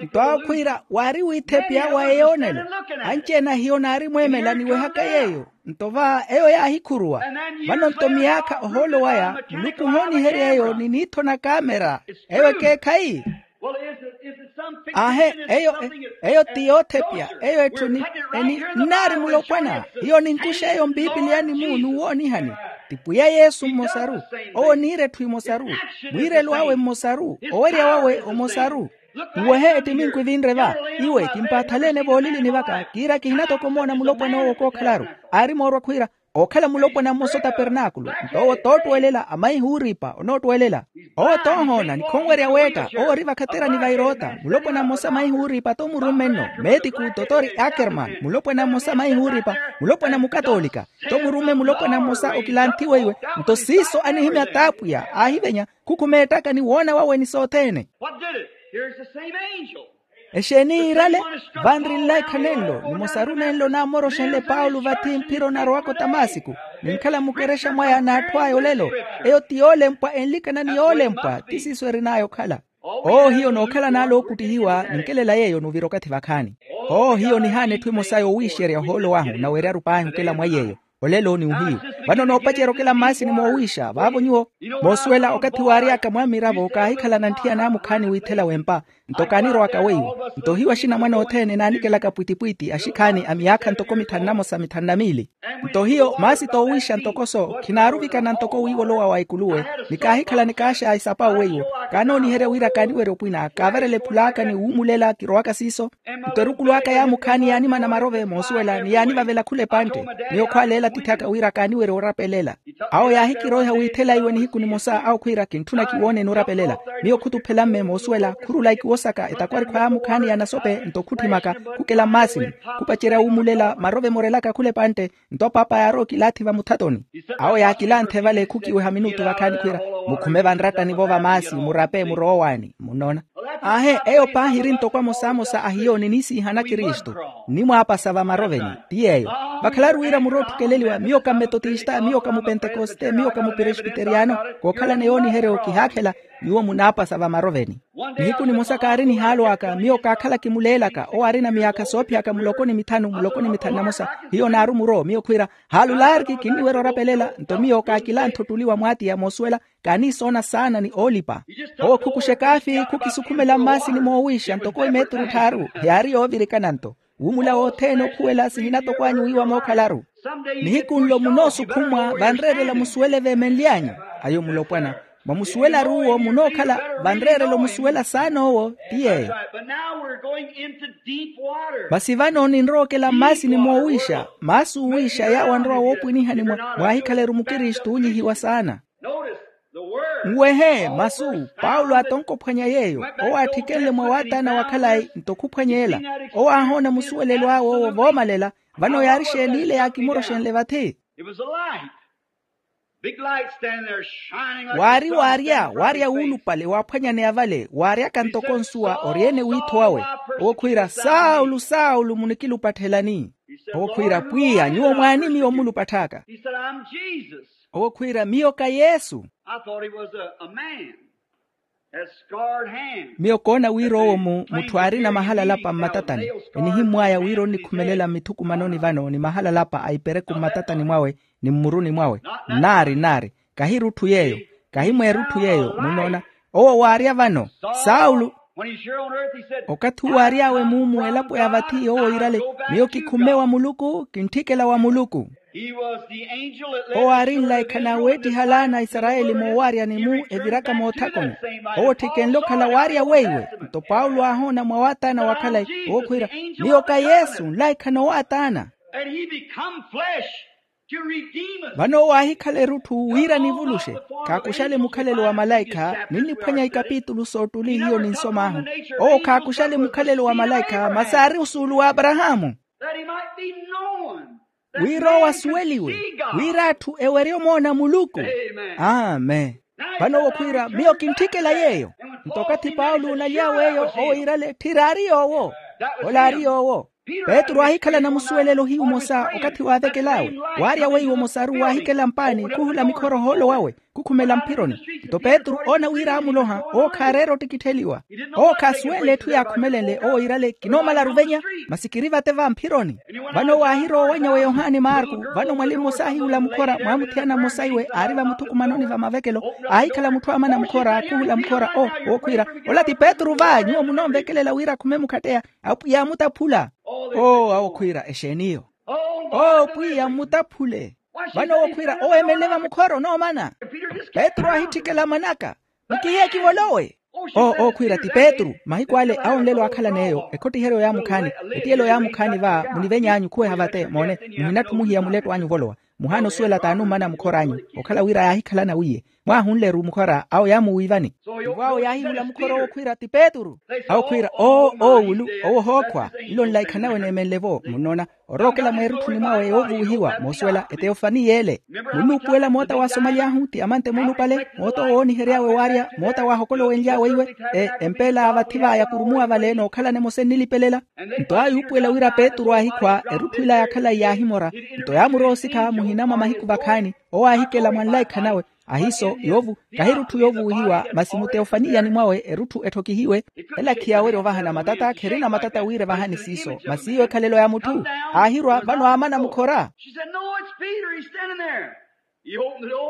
Nto awo khwiira waari wiithepiya wa eyoonelo. Anci-ene ahiyo naarimweemela niwehaka yeeyo. Nto va eyo yaahikhuruwa. Vano nto miyaakha ohoolo waya muluku ohooniherya eyo ni niitho na kaamera. Eyo ekeekhayi. Aahe, eyo eyo ti yoothepiya. Eyo etthu ni eni nnaari mulopwana. Hiyo ninkuxa eyo mpiipiliyani-mu n'uwoonihani. Ti pwiya yesu mmosaru. Owo niira etthu emosaru. Mwiirelo awe mmosaru. Owerya wawe omosaru. Nwehe ettiminku evinre va. Iwe kimpaathalene voolilini vaka kiira kihinatoko omoona mulopwana owo kookhalaru. Aari moorwa khwiira ookhala mulopwana mmosa otapernaakulu. Nto owo toottuwelela amaihi ooriipa onoottwelela. Owo toohoona ni khonwerya weetta owo ori vakhaterani va eroota mulopwana mmosa maihi ooriipa tomurumme nno. Meetiku totori akerman mulopwana mmosa maihi ooriipa. Mulopwana mukatoolika tomurumme mulopwana mmosa okilanthiwe iwe. Nto siiso anihimya t'apwiya aahivenya khukhumeettaka ni woona wawe ni sothene. Exeeni yiirale? Vanri nlaikha nenlo nimosaru nenlo naamoroxenle paulo vathi mphira onarowaka otamasiku. Ninkhala mukerexa mwaya n'atthu aya olelo. Eyo ti yoolempwa enlikana ni yoolempwa ti siiso erin'aya okhala. Owo hiyo nookhala n'ale ookuttihiwa ninkelela yeeyo n'uvira okathi vakhaani. Owo hiyo nihaana etthu emosa yoowiixerya ohoolo wahu naweryaru paahi okela mwa yeeyo. Olelo ni ohiyu. Vano noopacerya okela mmaasini moowiixa vaavo nyuwo. Moosuwela okathi waary'aka mwaamiravo kaahikhalana ntthiyana mukhaani wiithela w'empa. Nto kaanirowaka weiwo. Nto hiyo axinamwane othene naanikelaka pwittipwitti axikhaani a miyaakha ntoko mithanu na mosa mithanu na miili. Nto hiyo maasi toowiixa ntoko-so khinaaruvikana ntoko wiivolowa wa ekuluwe. Ni kaahikhala nikaaxa isapa weiwo. Kaanooniherya wira kaaniwerya opwina kaavarela ephul'aka ni wuumulela kirowaka siiso. Nto erukulu aka yaamukhaani yaanimana marove moosuwela ni yaanivavela khula epantte. Miyo khwaaleela atiithi aka wira kaaniwerya orapelela. Awo yaahikiroiha wiithela iwe nihiku nimosa awo khwiira kintthuna kiwooneni orapelela. Miyo khutuphela mme moosuwela khurula ikiwosaka etakwarikhwa yaamukhaani ya nasope nto khutthimaka khukela mmaasini. Khupacerya wuumulela marove morelaka khula epantte. Nto paapa yaarowa okilaathi vamuthatoni. Awo yaakilanthe vale khukiweha minutu vakhaani khwiira mukhume vanrattani-vo vamaasi murape muroowani. Munnoona? Aahe eyo paahi eri ntoko amosamosa ahiyo niniisiihana kristu. Nnimwaapasa vamaroveni ti yeeyo. Vakhalaru wira murootthukeleliwa miyo ka mmetotista miyo ka mupentekoste miyo ka muperesbiteriyano. Kookhalana yooniheryo kihaakhela. Nyuwo munaapasa vamaroveni. Nihiku nimosa kaari nihaalo aka miyo kaakhala kimuleelaka owo aarina miyaakha soophiyaka muloko ni mithanu muloko ni mithanu na mosa. Hiyo naaru muro miyo khwiira haalulaariki kinniwerya orapelela nto miyo kaakilanthe ottuli wa mwaatiya moosuwela. Kaaniisoona saana ni oolipa. Owo khukuxa ekaafi khukisukhumela mmaasini moowiixa ntoko emeeturu tthaaru. Heyaari yoovirikana nto wuumula wothene okhuwela sihinatoko anyu wiiwa mookhalaru. Nihiku nlo munoosukhumwa vanreerela musuwele veemenly'anyu. Ayo mulopwana mwamusuwelaru uwo munookhala vanreerela omusuwela saana owo ti yeeyo. Masi vano ninrowa okela mmaasini moowiixa maasi oowiixa yaawo anrowa woopwinihani mwa mwaahikhaleru mukristu oonyihiwa saana. Nwehe masu paulo atonka ophwanya yeeyo. Owo aattikenle mwa waataana wa khalayi nto khuphwanya ela. Owo aahoona musuwelelo awe owo voomalela. Vano yaari xeeni ile yaakimoroxenle vathi? Waari waarya waarya wuulupale waaphwanyaneya vale waaryaka ntoko nsuwa ori-ene wiitho wawe. Owo khwiira saulu saulu munikilupatthela ni? Owo khwiira pwiya nyuwo mwaani miyo mmulupatth'aka? Owo khwiira miyo ka yesu. Miyo koona wira owo mu mutthu aarina mahalalapa mmatatani. Enihimmw'aya wira onnikhumelela mmithukumanoni vano ni mahalalapa a ipereku mmatatani mwawe ni mmuruni mwawe. Nnaari nnaari kahi erutthu yeeyo. Kahi mweerutthu yeeyo munnoona. Owo waarya vano saulo. Okathi uwo aary'awe muumu elapo ya vathi owo iirale miyo kikhumme wa muluku kintthikela wa muluku. Owo aari nlaikha naaweettiha laana a isarayeli moowaryani-mu eviraka moothakoni. Owo otthikenle okhala waarya weiwe. Nto paulo aahoona mwa waataana wa khalayi owo khwiira miyo ka yesu nlaikha noowaataana. Vano owo aahikhala erutthu wira nivuluxe. Khaakuxale mukhalelo wa malaikha ninniphwanya ikapitulu soottuli hiyo ninsom'ahu. Owo khaakuxale mukhalelo wa malaikha masi aari osuulu w'aparahaamu. That he might be known. Wira owo asuweliwe, wira atthu ewerye omoona muluku. Amen. Vano owo khwiira miyo kintthikela yeeyo. Nto okathi paulo onaly'awe eyo owo iirale tthiri aari yoowo. Ola aari yoowo. Petru aahikhala namusuwelelo hiyu omosa okathi waavekel'awe, waarya weiwo omosaru waahikela mpaani khuhula mikhora ohoolo wawe, khukhumela mphironi. Nto petru oona wira aamuloha, owo khaareera ottikittheliwa. Owo khaasuwenle etthu yaakhumelenle owo iirale kinoomalaru ovenya, masi kiri vate va mphironi. Vano owo aahirowa owanyawe yohani marku. Vano mwali mmosa aahihula mukhora mwamuthiyana mmosa iwe aari vamuthukumanoni va mavekelo, aahikhala mutthu aamana mukhora khuhula mukhora o, okhwiira, ola ti petru va nyuwo munoonvekelela wira akhume mukhatteya. Apwiya aamutaphula. Oo awo khwiira exeeni iyo? Oo pwiya mmutaphule. Vano owo khwiira owo eemenle vamukhora onoomana. Petru aahitthikela manaka. Mukihiye kivolowe. Oo owo khwiira ti petru. Mahiku ale awo nlelo aakhalan'eyo ekhottiheryo yaamukhaani, etiyelo yaamukhaani va muniveny'anyu khuweha vate moone. Muhinatthumuhiya muletto anyu ovolowa. Muhaana osuwela t'anummana mukhor'anyu. Okhala wira yaahikhalana wiiye mwaahunle-ru mukhora awo yaamuwiivani. Ivo awo yaahihula mukhora owo khwiira ti petru. Awo khwiira oo oowulu. Owo ohookhwa. Nlo nlaikha nawe neemenle-vo munnoona, orookela mweerutthuni mwawe yoovuwihiwa moosuwela eteyofani y'ele. Munnuupuwela moota waasomaly'ahu ti amantte muulupale moota owoonihery'awe waarya moota waahokolowenly'awe iwe. Empeela a vathi va yakurumuwa vale nookhalana emosa ennilipelela. Nto aayuupuwela wira petru aahikhwa erutthu ila yaakhala iyaahimora. Nto yaamurowa osikha muhina mwa mahiku vakhaani. Owo aahikela mwa nlaikha nawe. Ahiiso yoovu kahirutthu yoovuwihiwa masi muteofaniyani mwawe erutthu etthokihiwe. Ela khiyaawerya ovahana matata kherina matata wira evahani siiso masi iyo ekhalelo ya mutthu. Aahirwa vano aamana mukhora.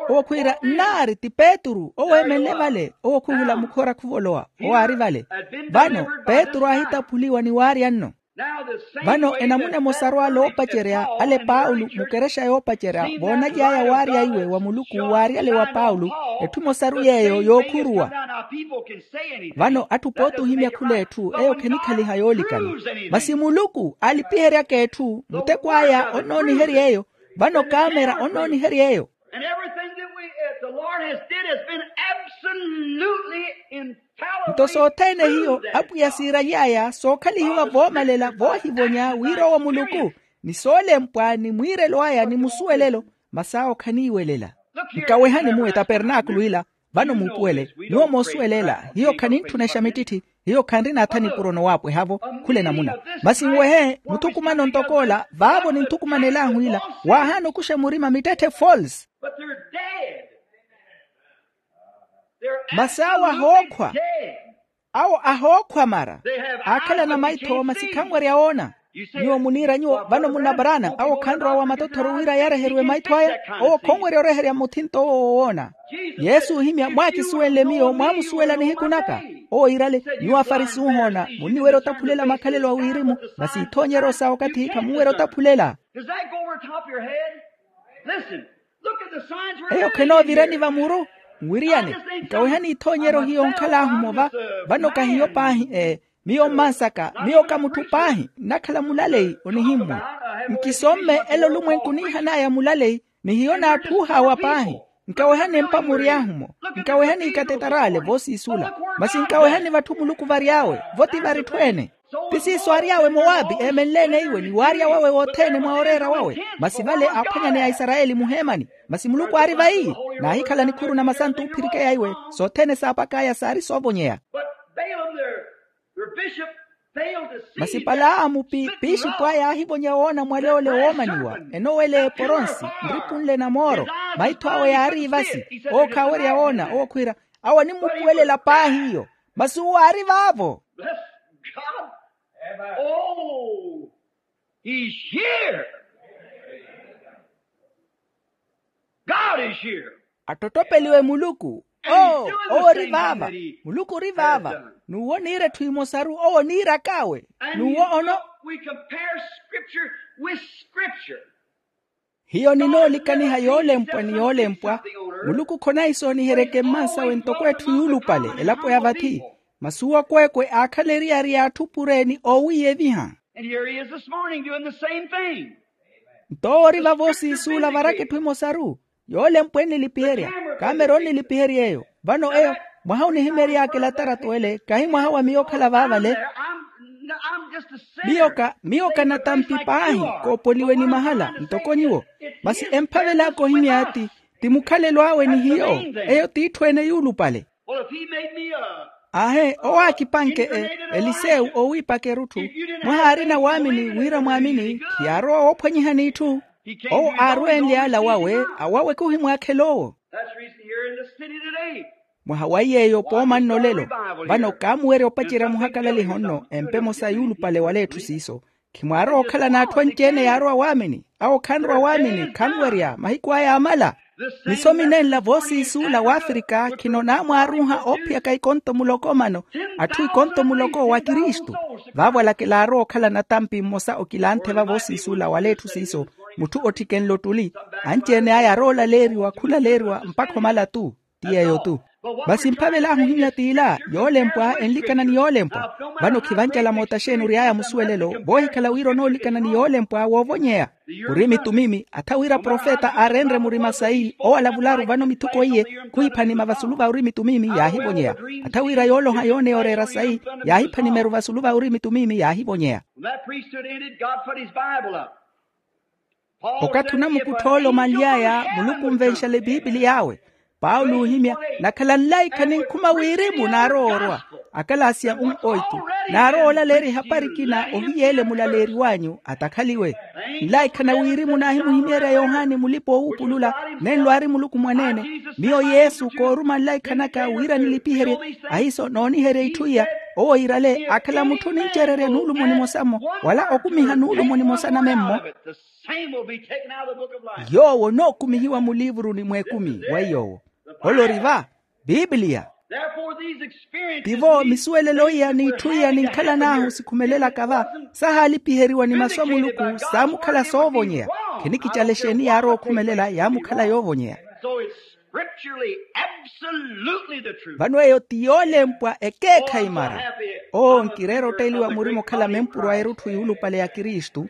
Owo khwiira nnaari ti petru owo eemenle vale owo khuhula mukhora khuvolowa. Owo aari vale. Vano petru aahitaphuliwa ni waarya nno. Vano enamuna emosaru ale oopacerya ale paulo mukerexa yoopacerya voonaly'aya waarya iwe wa muluku waaryale wa paulo. Etthu emosaru yeeyo yookhuruwa. Vano atthu pooti ohimya khul'etthu eyo khenikhaliha yoolikana. Masi muluku aalipiheryaka etthu muteko aya onnooniherya eyo. Vano kaamera onnooniherya eyo. And everything that we, uh, the Lord has did has been absolutely infallible. Nto sothene hiyo apwiya siiraly'aya sookhalihiwa voomalela voohivonya wira owo muluku, ni soolempwa ni mwiirelo aya ni musuwelelo. Masi awo khaniiwelela. Nkawehani muwe tapernaakulu ila. Vano muupuwele nyuwo moosuwelela hiyo khanintthuna examititthi. Hiyo khanrina atha nipuro nowaapwehavo. Khula enamuna masi nwehe muthukumano ntok'ola vaavo ninthukumanel'ahu ila. Waahaana okuxa murima mittetthe false. Masi awo ahookhwa. Awo ahookhwa mara. Aakhalana maitho masi khanwerya woona. Nyuwo muniira nyuwo vano munnaparana awo khanrowa wa matothoro wira yareheriwe maitho aya. Owo khonwerya oreherya muthinto owo wowoona. Yesu oohimya mwaakisuwenle miyo mwaamusuwela nihiku naka. Owo iirale nyuwo afarisi ohoona munniwerya otaphulela makhalelo a wirimu. Masi ithoonyeryo sa okathi khamunwerya otaphulela. Does that go over top of your head? Listen. Look at the signs we're eyo khenoovira ni vamuru. Nwiriyane nkawehani ithoonyeryo hiyo nkhal'ahu mova. Vano kahiyo paahi ee. Miyo mmansaka miyo ka mutthu paahi nnakhala mulaleyi onihimmwa. Nkisomme ela olumwenku niihan'aya mulaleyi. Ni hiyo naatthuuh'awa paahi. Nkawehani empa mury'ahu-mo. Nkawehani ikatetaraale voosiisula. Masi nkawehani vatthu muluku vary'awe vo ti varitthu ene. Ti siiso aary'awe mowaapi eemenle-ene iwe ni waarya wawe wothene mwa oreera wawe. Masi vale aaphwanyaneya aisarayeli muheemani. Masi muluku aari vayi. Naahikhala nikhuru na masantu oophirikeya iwe. Sothene saapak'aya saari soovonyeya. Masi palaamu piixipu aya aahivonya woona mwale ole woomaniwa enowela eporonsi nripu nle na mooro. Maitho awe yaari ivasi. Owo khaawerya woona owo khwiira. Awo animmupuwelela paahi iyo. Masi uwo aari vaavo. Bless God. Oh, he's here. God is here. Attottopeliwe muluku. Oo owo ori vaava. Muluku ori vaava. N'uwo oniira etthu emosaru owo oniirak'awe. N'uwo ono. We compare scripture with scripture. Hiyo ninoolikaniha yoolempwa ni yoolempwa. Muluku khonahisooniheryeke mmansawe ntoko etthu yuulupale elapo ya vathi. Masi uwo akweekwe aakhala eriyari y'atthu pure ni oowiiyeviha. And here he is this morning doing the same thing. Nto owo ori vavo osiisuula varaka etthu emosaru. Yoolempwa ennilipiherya. Kaamera onnilipiherya eyo. Vano eyo mwaha onihimery'aka elatarato ele kahi mwaha wa miyo okhala vaavale. Miyo ka miyo ka natampi paahi, koopoliweni mahala ntoko nyuwo. Masi emphavel'aka ohimya ti ti mukhalelo awe ni hiyo. Eyo t'itthu ene yuulupale. Aahe owo aakipanke elisewu oowiipaka erutthu. Mwaha aarina waamini wira mwaamini khiyaarowa woophwanyihani itthu. Owo aarwenle ala wawe awawe khuhimwaakhela owo. Mwaha wa iy'eyo pooma nno olelo. Vano kaamuwerya opacerya muhakalaliho nno empe emosa yuulupale wala etthu siiso. Khimwaarowa okhala n'atthu anci-ene yaarowa waamini. Awo khanrowa waamini khanwerya mahiku aya aamala. Nisomi nenla voosiisuula w'afrika khino naamwaaruuha oophiyaka ikonto muloko mano atthu ikonto muloko wa kristu. Vaavo alakela aarowa okhala natampi mmosa okilanthe va voosiisuula wala etthu siiso. Mutthu otthikenle ottuli anci-ene aya arowa olaleeriwa khulaleeriwa mpakha omala tu. Ti yeeyo tu. Masi mphavel'ahu ohimya t'ila yoolempwa enlikana ni yoolempwa. Vano khivancala moota xeeni ory'aya musuwelelo voohikhala wira onoolikana ni yoolempwa woovonyeya. Ori mitumimi atha wira profeta aarenre murima sayi owo alavularu vano mithuko iye. Khuhipha nima vasulu va ori mitumimi yaahivonyeya. Atha wira yooloha yooneya oreera sayi yaahipha nimeru vasulu va ori mitumimi yaahivonyeya. Okathi onamukuttha ole omanly'aya muluku onvenxale epiipiliya awe. Paulo oohimya nakhala nlaikha ninkhuma wirimu naarowa orwa. Akalaasi a um oitu naarowa olaleerya ehapari ekina ohiyeele mulaleeri w'anyu atakhaliwe. Nlaikha na wirimu naahimuhimeerya yohani mulipa-oowuupulula nenlo aari muluku mwaneene. Miyo yesu kooruma nlaikha naka wira nilipiherye. Ahiiso nooniherya itthu iya owo iirale akhala mutthu onincererya nuulumo nimosa-mo wala okumiha nuulumo nimosa namemmo. Yoowo onookumihiwa muliivuruni mw'ekumi wa iy'owo. Ole ori va biipiliya. Tivo misuwelelo iya n'itthu iya ninkhalan'ahu sikhumelelaka va saahaalipiheriwa ni masu a muluku saamukhala soovonyeya. Khinikicala exeeni yaarowa okhumelela yaamukhala yoovonyeya. Vano eyo ti yoolempwa ekeekhayi mara. Oo nkireera otteeliwa murima okhala mempuro a erutthu yuulupale ya kristu.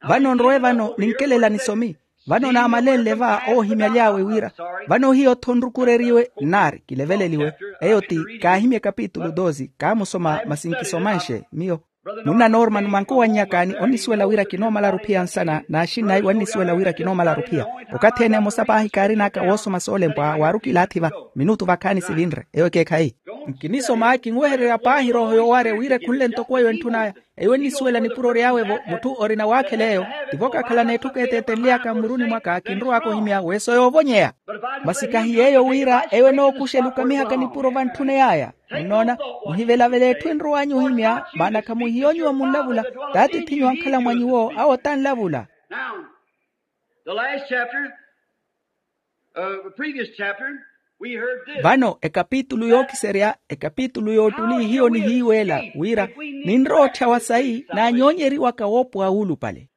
Vano nrowe vano ninkelela nisomi. Vano naamalenle va oohimyaly'awe wira vano hiyo-tho nrukureriwe nnaari kileveleliwe. Eyo ti kaahimya ekapitulu dosi kaamusoma masi nkisomanxe miyo. Munna norman mwankowannyakaani onnisuwela wira kinoomalaru ophiya nsana n'axinnayi wannisuwela wira kinoomalaru ophiya. Okathi ene emosa paahi kaarin'aka woosoma soolempwa waaru kilaathi va minutu vakhaani sivinre eyo ekeekhayi. Nkinisoma kinwehererya paahi rooho yoowarya wira ekhunle ntoko eyo entthun'aya. Eyo ennisuwela nipuro ry'awe-vo mutthu orina waakhela eyo. Tivo kakhala n'etthu keeteetenly'aka mmuruni mwaka kinrow'aka ohimya weeso yoovonyeya. Masi kahi yeeyo wira eyo enookuxela okamihaka nipuro vantthuna yaya. Munnoona muhivelavele etthu enrow'anyu ohimya maana khamuhiyonyiwa munlavula. T'atiith'inyu ankhala mwa nyuwo awo tanlavula. Vano ekapitulu yookiserya ekapitulu y'ottuli hiyo nihiiweela wira ninrowa otthyawa sayi naanyoonyeriwaka woopowa wuulupale.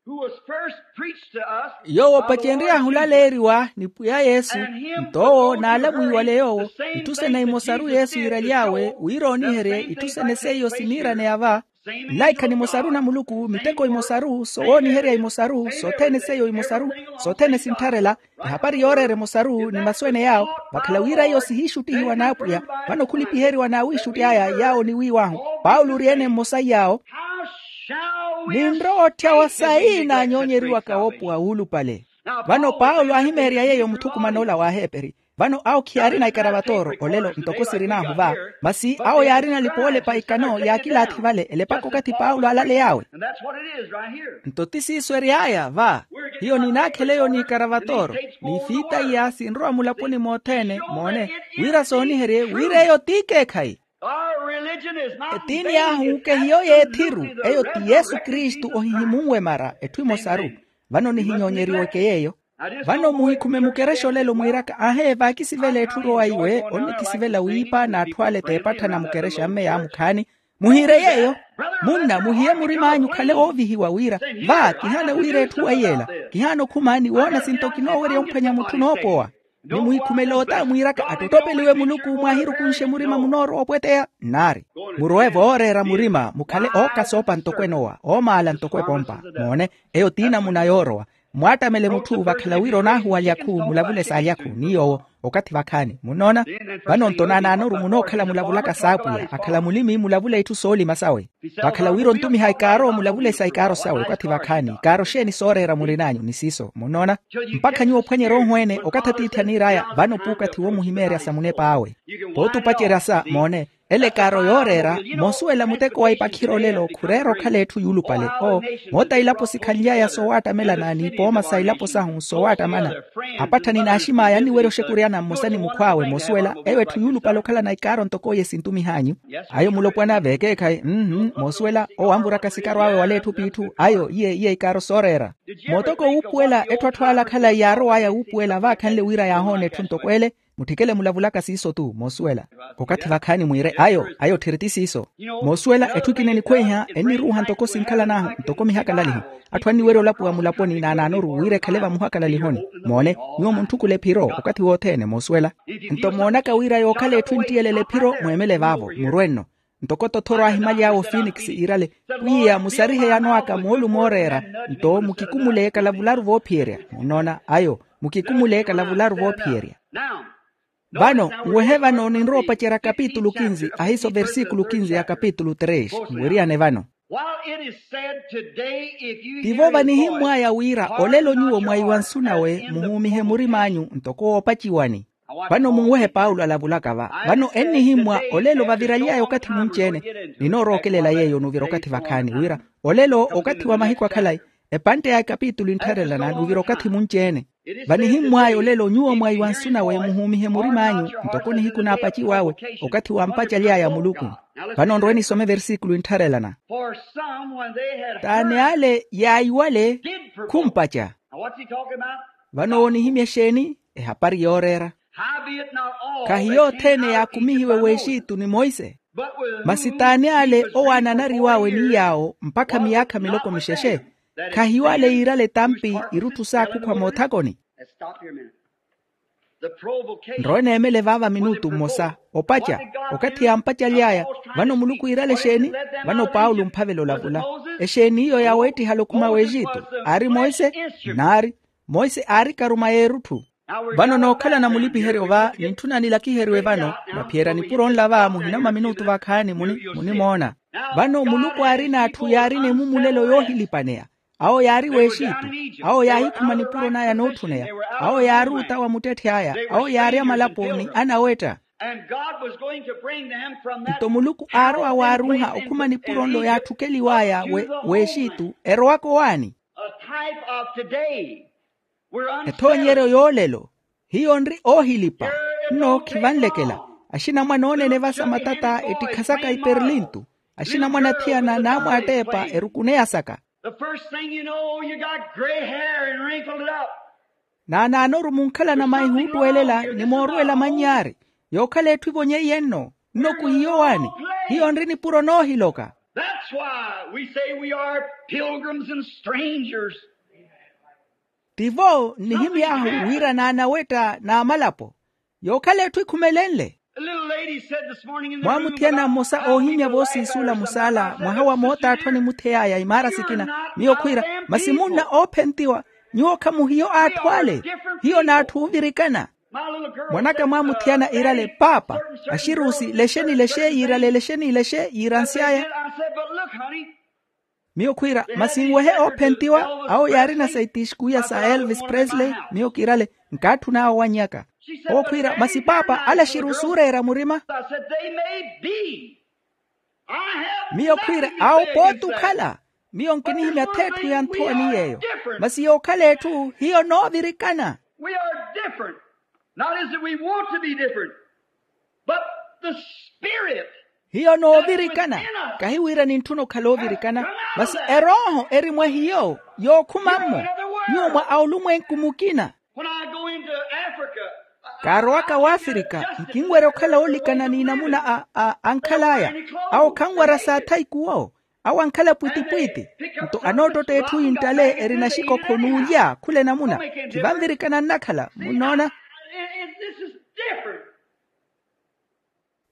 Yoowo opacenry'ahu olaleeriwa ni pwiya yesu. Nto owo naalamwiwale yoowo itthu sene imosaru yesu iiraly'awe wira ooniherye itthu sene seiyo siniiraneya va. Nlaikha nimosaru na muluku miteko imosaru sowooniherya imosaru sothene seiyo imosaru sothene sinttharela. Ehapari yooreera emosaru ni masu ene yaawo vakhala wira iyo sihiixuttihiwa n'apwiya. Vano khulipiheriwa n'awiixutti aya yaawo oniwiiw'ahu paulo ori-ene mmosa iyaawo. Ninrowa otthyawa sayi naanyoonyeriwaka woopowa wuulupale. Vano paulo aahimeerya yeeyo muthukuman'ola w'aheperi. Vano awo khiyaarina ikaravatooro olelo ntoko sirin'ahu va. Masi awo yaarina alipa oolepa ikano yaakilaathi vale elepaka okathi paulo aalaley'awe. Nto ti siiso ery'aya va. Hiyo ninaakhela eyo n'ikaravatooro n'ifiita iya sinrowa mulaponi mothene moone wira sooniherye wira eyo t'ikeekhayi. Etiini ahu kehiyo y'ethiru eyo ti yesu kristu ohihimunwe mara etthu emosaru. Vano nihinyoonyeriweke yeeyo. Vano muhikhume mukerexa olelo mwiiraka aahe vaakisivela etthu rowa iwe onnikisivela wiipa n'atthu ale t'epattha na mukerexa mme yaamukhaani. Muhiire yeeyo. Munna muhiye murim'anyu okhale woovihiwa wira va kihaana wira etthu weiyeela. Kihaana okhuma ni woona sinto kinoowerya omphwanya mutthu noopowa. Ni muhikhumele ota mwiiraka attottopeliwe muluku mwahirukunxe murima munoorowa opweteya nnaari. Murowe vooreera murima mukhale ookasoopa ntoko enowa oomaala ntoko epompa. Moone eyo t'inamuna yoorowa. Mwaattamele mutthu vakhala wira onaahuwalyakhu mulavule saalyakhu ni yoowo. Okathi vakhaani munnoona. Vano nto naanaanoru munookhala mulavulaka saapwiya akhala mulimi mulavula itthu soolima sawe. Vakhala wira ontumiha ikaaro mulavule sa ikaaro sawe okathi vakhaani ikaaro xeeni sooreera murin'anyu ni siiso munnoona. Mpakha nyuwo ophwanyerya ohweene okathi atiithi aniir'aya vano puukathi woomuhimeerya sa munep'awe. Pootupacerya sa moone. Ele ekaaro yooreera moosuwela muteko wa ipakhiro lelo khureera okhala etthu yuulupale. Oo moota ilapo sikhanly'aya sowaattamelana n'ipooma sa ilapo sahu sowaattamana. Apattha ni naaxim'aya anniwerya oxekuryana mmosa ni mukhw'awe moosuwela eyo etthu yuulupale okhalana ikaaro ntoko iye sintumih'anyu. Ayo mulopwana veekeekhayi mmm moosuwela owo anvuraka sikaro awe wala etthu p'itthu ayo iye iye ikaaro sooreera. Mootoko wuupuwela etthu atthu ala khalayi yaarow'aya wuupuwela vaakhanle wira yaahoona etthu ntoko ele. Mutthikele mulavulaka siiso-tu moosuwela. Okathi vakhaani mwiire ayo ayo tthiri ti siiso. Moosuwela etthu ekina enikhweiha enniruuha ntoko sinkhalan'ahu ntoko mihakalaliho. Atthu anniwerya olapiwa mulaponi naanaanoru wira ekhale vamuhakalalihoni. Moone nyuwo muntthukule ephiro okathi wothene moosuwela. Nto moonaka wira yookhala etthu enttiyelela ephiro mweemele vaavo murwe nno. Ntoko tothoro aahimaly'awe ofinikisi iirale pwiya musarihe yano aka moolumo ooreera. Nto mukikumule kalavularu voophiyerya munnoona ayo mukikumule kalavularu voophiyerya. Vano nwehe vano ninrowa opacerya kapitulu kinzi ahiiso versikulu kinzi ya kapitulu tres nweriyane vano. Tivo vanihimmw'aya wira olelo nyuwo mwaiwa nsu nawe muhuumihe murim'anyu ntoko woopaciwani. Vano munwehe paulo alavulaka va vano ennihimmwa olelo vaviraly'aya okathi munci-ene. Ninoorookelela yeeyo onuvira okathi vakhaani wira olelo okathi wa mahiku akhalayi epantte ya ekapitulu enttharelana nuvira okathi munci-ene. Vanihimmw'aya olelo nyuwo mwaiwa nsu nawe muhuumihe murim'anyu ntoko nihiku naapaciw'awe okathi wampacaly'aya muluku. Vano nrowe nisome versikulu enttharelana. T'ani ale yaayiwale khumpaca. Vano owo onihimya exeeni? Ehapari yooreera. Khahiyo othene yaakumihiwe w'exitu ni monse. Masi t'ani ale owo aananariw'awe ni yaawo mpakha miyaakha miloko mixexe. Khahiyo ale yiirale etampi irutthu saakukhwa moothakoni. Nrowe neemele vaava minutu mmosa. Opaca okathi yaampacaly'aya. Vano muluku yiirale exeeni? Vano paulo omphavela olavula exeeni iyo yaaweettihala okhuma w'exitu? Aari monse. Naari. Monse aari karuma y'erutthu. Vano nookhalana mulipiheryo va nintthuna nilakiheriwe vano. Mwaphiyerya nipuro nla va muhina mwa minutu vakhaani munimoona. Vano muluku aarina atthu yaarina emumulelo yoohilipaneya. Awo yaari w'exitu. Awo yaahikhuma nipuro n'aya nootthuneya. Awo yaari ota wa muttetthe aya. Awo yaari amalapo ni anawetta. Nto muluku aarowa waaruuha okhuma nipuro nlo yaatthukeliw'aya w'exitu erowaka owaani. Ethoonyeryo y'olelo. Hiyo nri oohilipa. Nno khivanlekela. Axinamwane oonene vasa matata ettikha saka iperlintu. Axinamwane athiyana naamwaatteepa erukuneya saka. Naanaanoru munkhalana maihuuttwelela ni mooruwela mannyaari. Yookhala etthu evonyeiye nno. Nno kwiiyo waani? Hiyo nri nipuro noohiloka. That's why we say we are pilgrims and strangers. Tivo nnihimy'ahu wira naanawetta n'amalapo. Yookhala etthu ekhumelenle. Mwaamuthiyana mmosa oohimya voosiisuula musaala mwaha wa moota atthu animuthey'aya imaara sikina. Miyo khwiira masi munna oophentiwa. Nyuwo khamuhiyo atthu ale. Hiyo n'atthu oovirikana. Mwan'aka mwaamuthiyana iirale paapa. Axiruusi lexe ni lexe yiirale lexe ni lexe yiiransy'aya. Miyo khwiira masi nwehe oophentiwa. Awo yaarina sa itixkuya sa elvis presley. Miyo kiirale nkaatthun'awe owannyaka. Owo khwiira masi paapa ale axiruusi ooreera murima. Miyo khwiira awo pooti okhala. Miyo nkinihimya th'etthu ya nthowa ni yeeyo. Masi yookhala etthu hiyo noovirikana. We are different. Not as if we want to be different, but the spirit. Hiyo noovirikana. Kahi wira nintthuna okhala ovirikana. Masi erooho eri mwa hiyo yookhuma-mmo. Nyuwo mwa aulumwenku mukina. When I go into Africa, kaarowaka w'afirika nkinwerya okhala oolikana n'inamuna a ankhal'aya. Awo khanwara saathayi kuwo. Awo ankhala pwitipwiti. Nto anoottotta etthu yinttale erina xikokho n'ulya khula enamuna. Khivanvirikana nnakhala munnoona.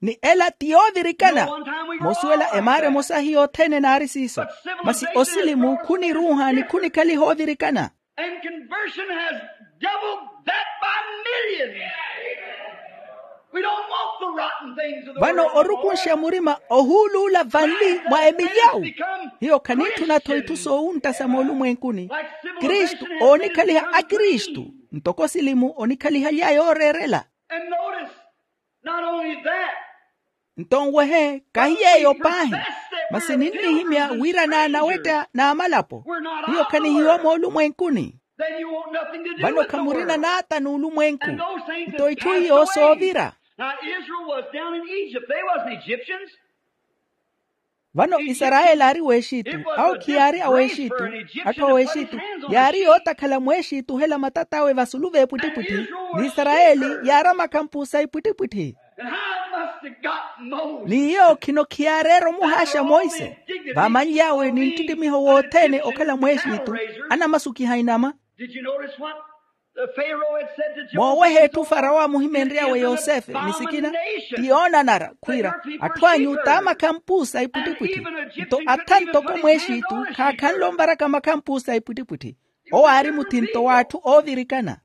Ni ela ti yoovirikana. Moosuwela emaara emosa hiyo othene enaari siiso. Masi osilimu khuniruuha ni khunikhaliha ovirikana. And conversion has doubled that by millions. We don't want the rotten things of the world. Vano orukunxa murima ohuuluula vanli mwa emili awu. Hiyo khanitthuna-tho itthu soowuntta sa moolumwenkuni. Kristu oonikhaliha akristu, ntoko silimu onikhalihaly'aya ooreerela. And notice, not only that, nto nwehe kahi yeeyo paahi, masi ninnihimya wira naanawetta n'amalapo. Hiyo khanihiwa moolumwenkuni. Vano khamurina n'ata n'ulumwenku. Nto itthu iyo soovira. Now Israel was down in Egypt. They wasn't Egyptians. Vano isarayeli aari w'exitu. Awo khiyaari aw'exitu. Atthu aw'exitu yaari yootakhala mw'exitu ohela matat'awe vasulu v'epwittipwitthi. N'isarayeli yaari amakhampu sa ipwittipwitthi. N'iyo khino khiyaareera omuhaaxa monse. Vaamanly'awe ni nttittimiho wothene okhala mw'exitu, anamasukiha inama. Mooweha etthu farawo aamuhimenry'awe yosefe ni sikina, ti yoonanara khwiira, atthu anyu t'amakhampu sa ipwittipwitthi. Nto atha ntoko mw'exitu khaakhanle onvaraka makhampu sa ipwittipwitthi. Owo aari muthinto w'atthu oovirikana.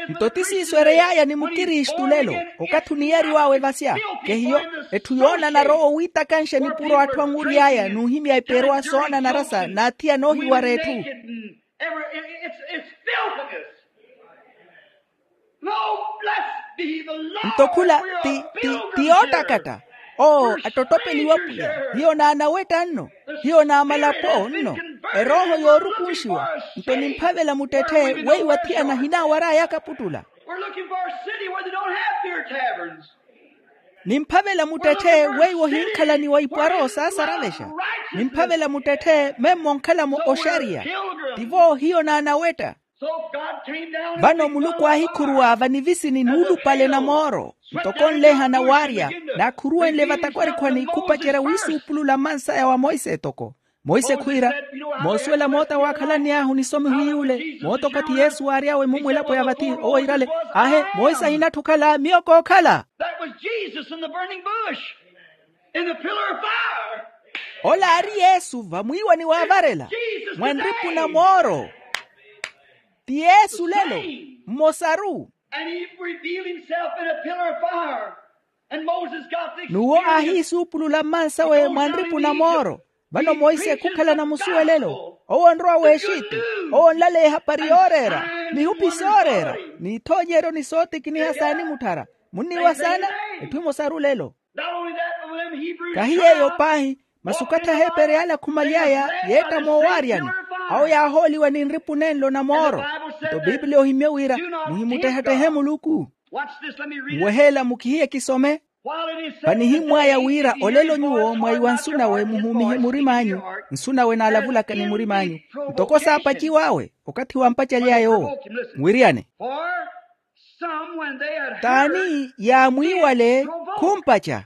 Nto ti siiso erey'aya ni mukristu lelo. Okathi oniyariw'awe vasya, kehiyo etthu yoonanara owo wiitakanxa nipuro atthu anwury'aya n'uhimya iperuwa soonanara sa n'athiyana oohiwara etthu. Nto khula ti ti ti yoottakatta. Oo attottopeliwa pwiya. Hiyo naanawetta nno. Hiyo naamalapo nno. Erooho yoorukunxiwa. Nto nimphavela muttetthe weiwo athiyana ahinaawar'aya akaputtula. We're looking for a city where they don't have beer taverns. Nimphavela muttetthe weiwo ohinkhalaniwa ipwaro saasaravexa. Nimphavela muttetthe memmo onkhalamo oxariya. Tivo hiyo naanawetta. Vano muluku aahikhuruwa vanivisini nuulupale na mooro. Ntoko onlehana waarya naakhuruwenle vatakwarikhwani khupacerya wiisuupulula mmansaya wa monse etoko. Monse khwiira, moosuwela moota waakhalanny'ahu nisomiho iy'ule moota okathi yesu waary'awe mumwelapo ya vathi owo iirale. Aahe, monse ahinatthi okhala miyo kookhala. That was Jesus in the burning bush, in the pillar of fire. Ola aari yesu vamwiiwani waavarela, mwa nripu na mooro. Ti yesu lelo, mmosaru. And he revealed himself in a pillar of fire. And Moses got the experience. N'uwo aahiisuupulula mmansawe mwa nripu na mooro. Vano monse khukhala na musuwelelo, owo onrowa w'exitu. Owo onlaleya ehapari yooreera, mihupi sooreera, n'ithoonyeryo ni sootikiniha saanimutthara. Munniiwa saana? Etthu emosaru lelo. Kahi yeeyo paahi, masi okathi aheeperi ale akhumaly'aya yeetta moowaaryani. Awo yaahooliwa ni nripu nenlo na mooro. Nto pipiliya ohimye wira, muhimuttehattehe muluku. Nweheela mukihiye kisome. Vanihimw'aya wira olelo nyuwo mwaiwa nsu nawe muhuumihe murim'anyu, nsu nawe naalavulaka ni murim'anyu, ntoko saapaciw'awe okathi wampacaly'aya owo. Muwiriyane. T'ani yaamwiiwale khumpaca?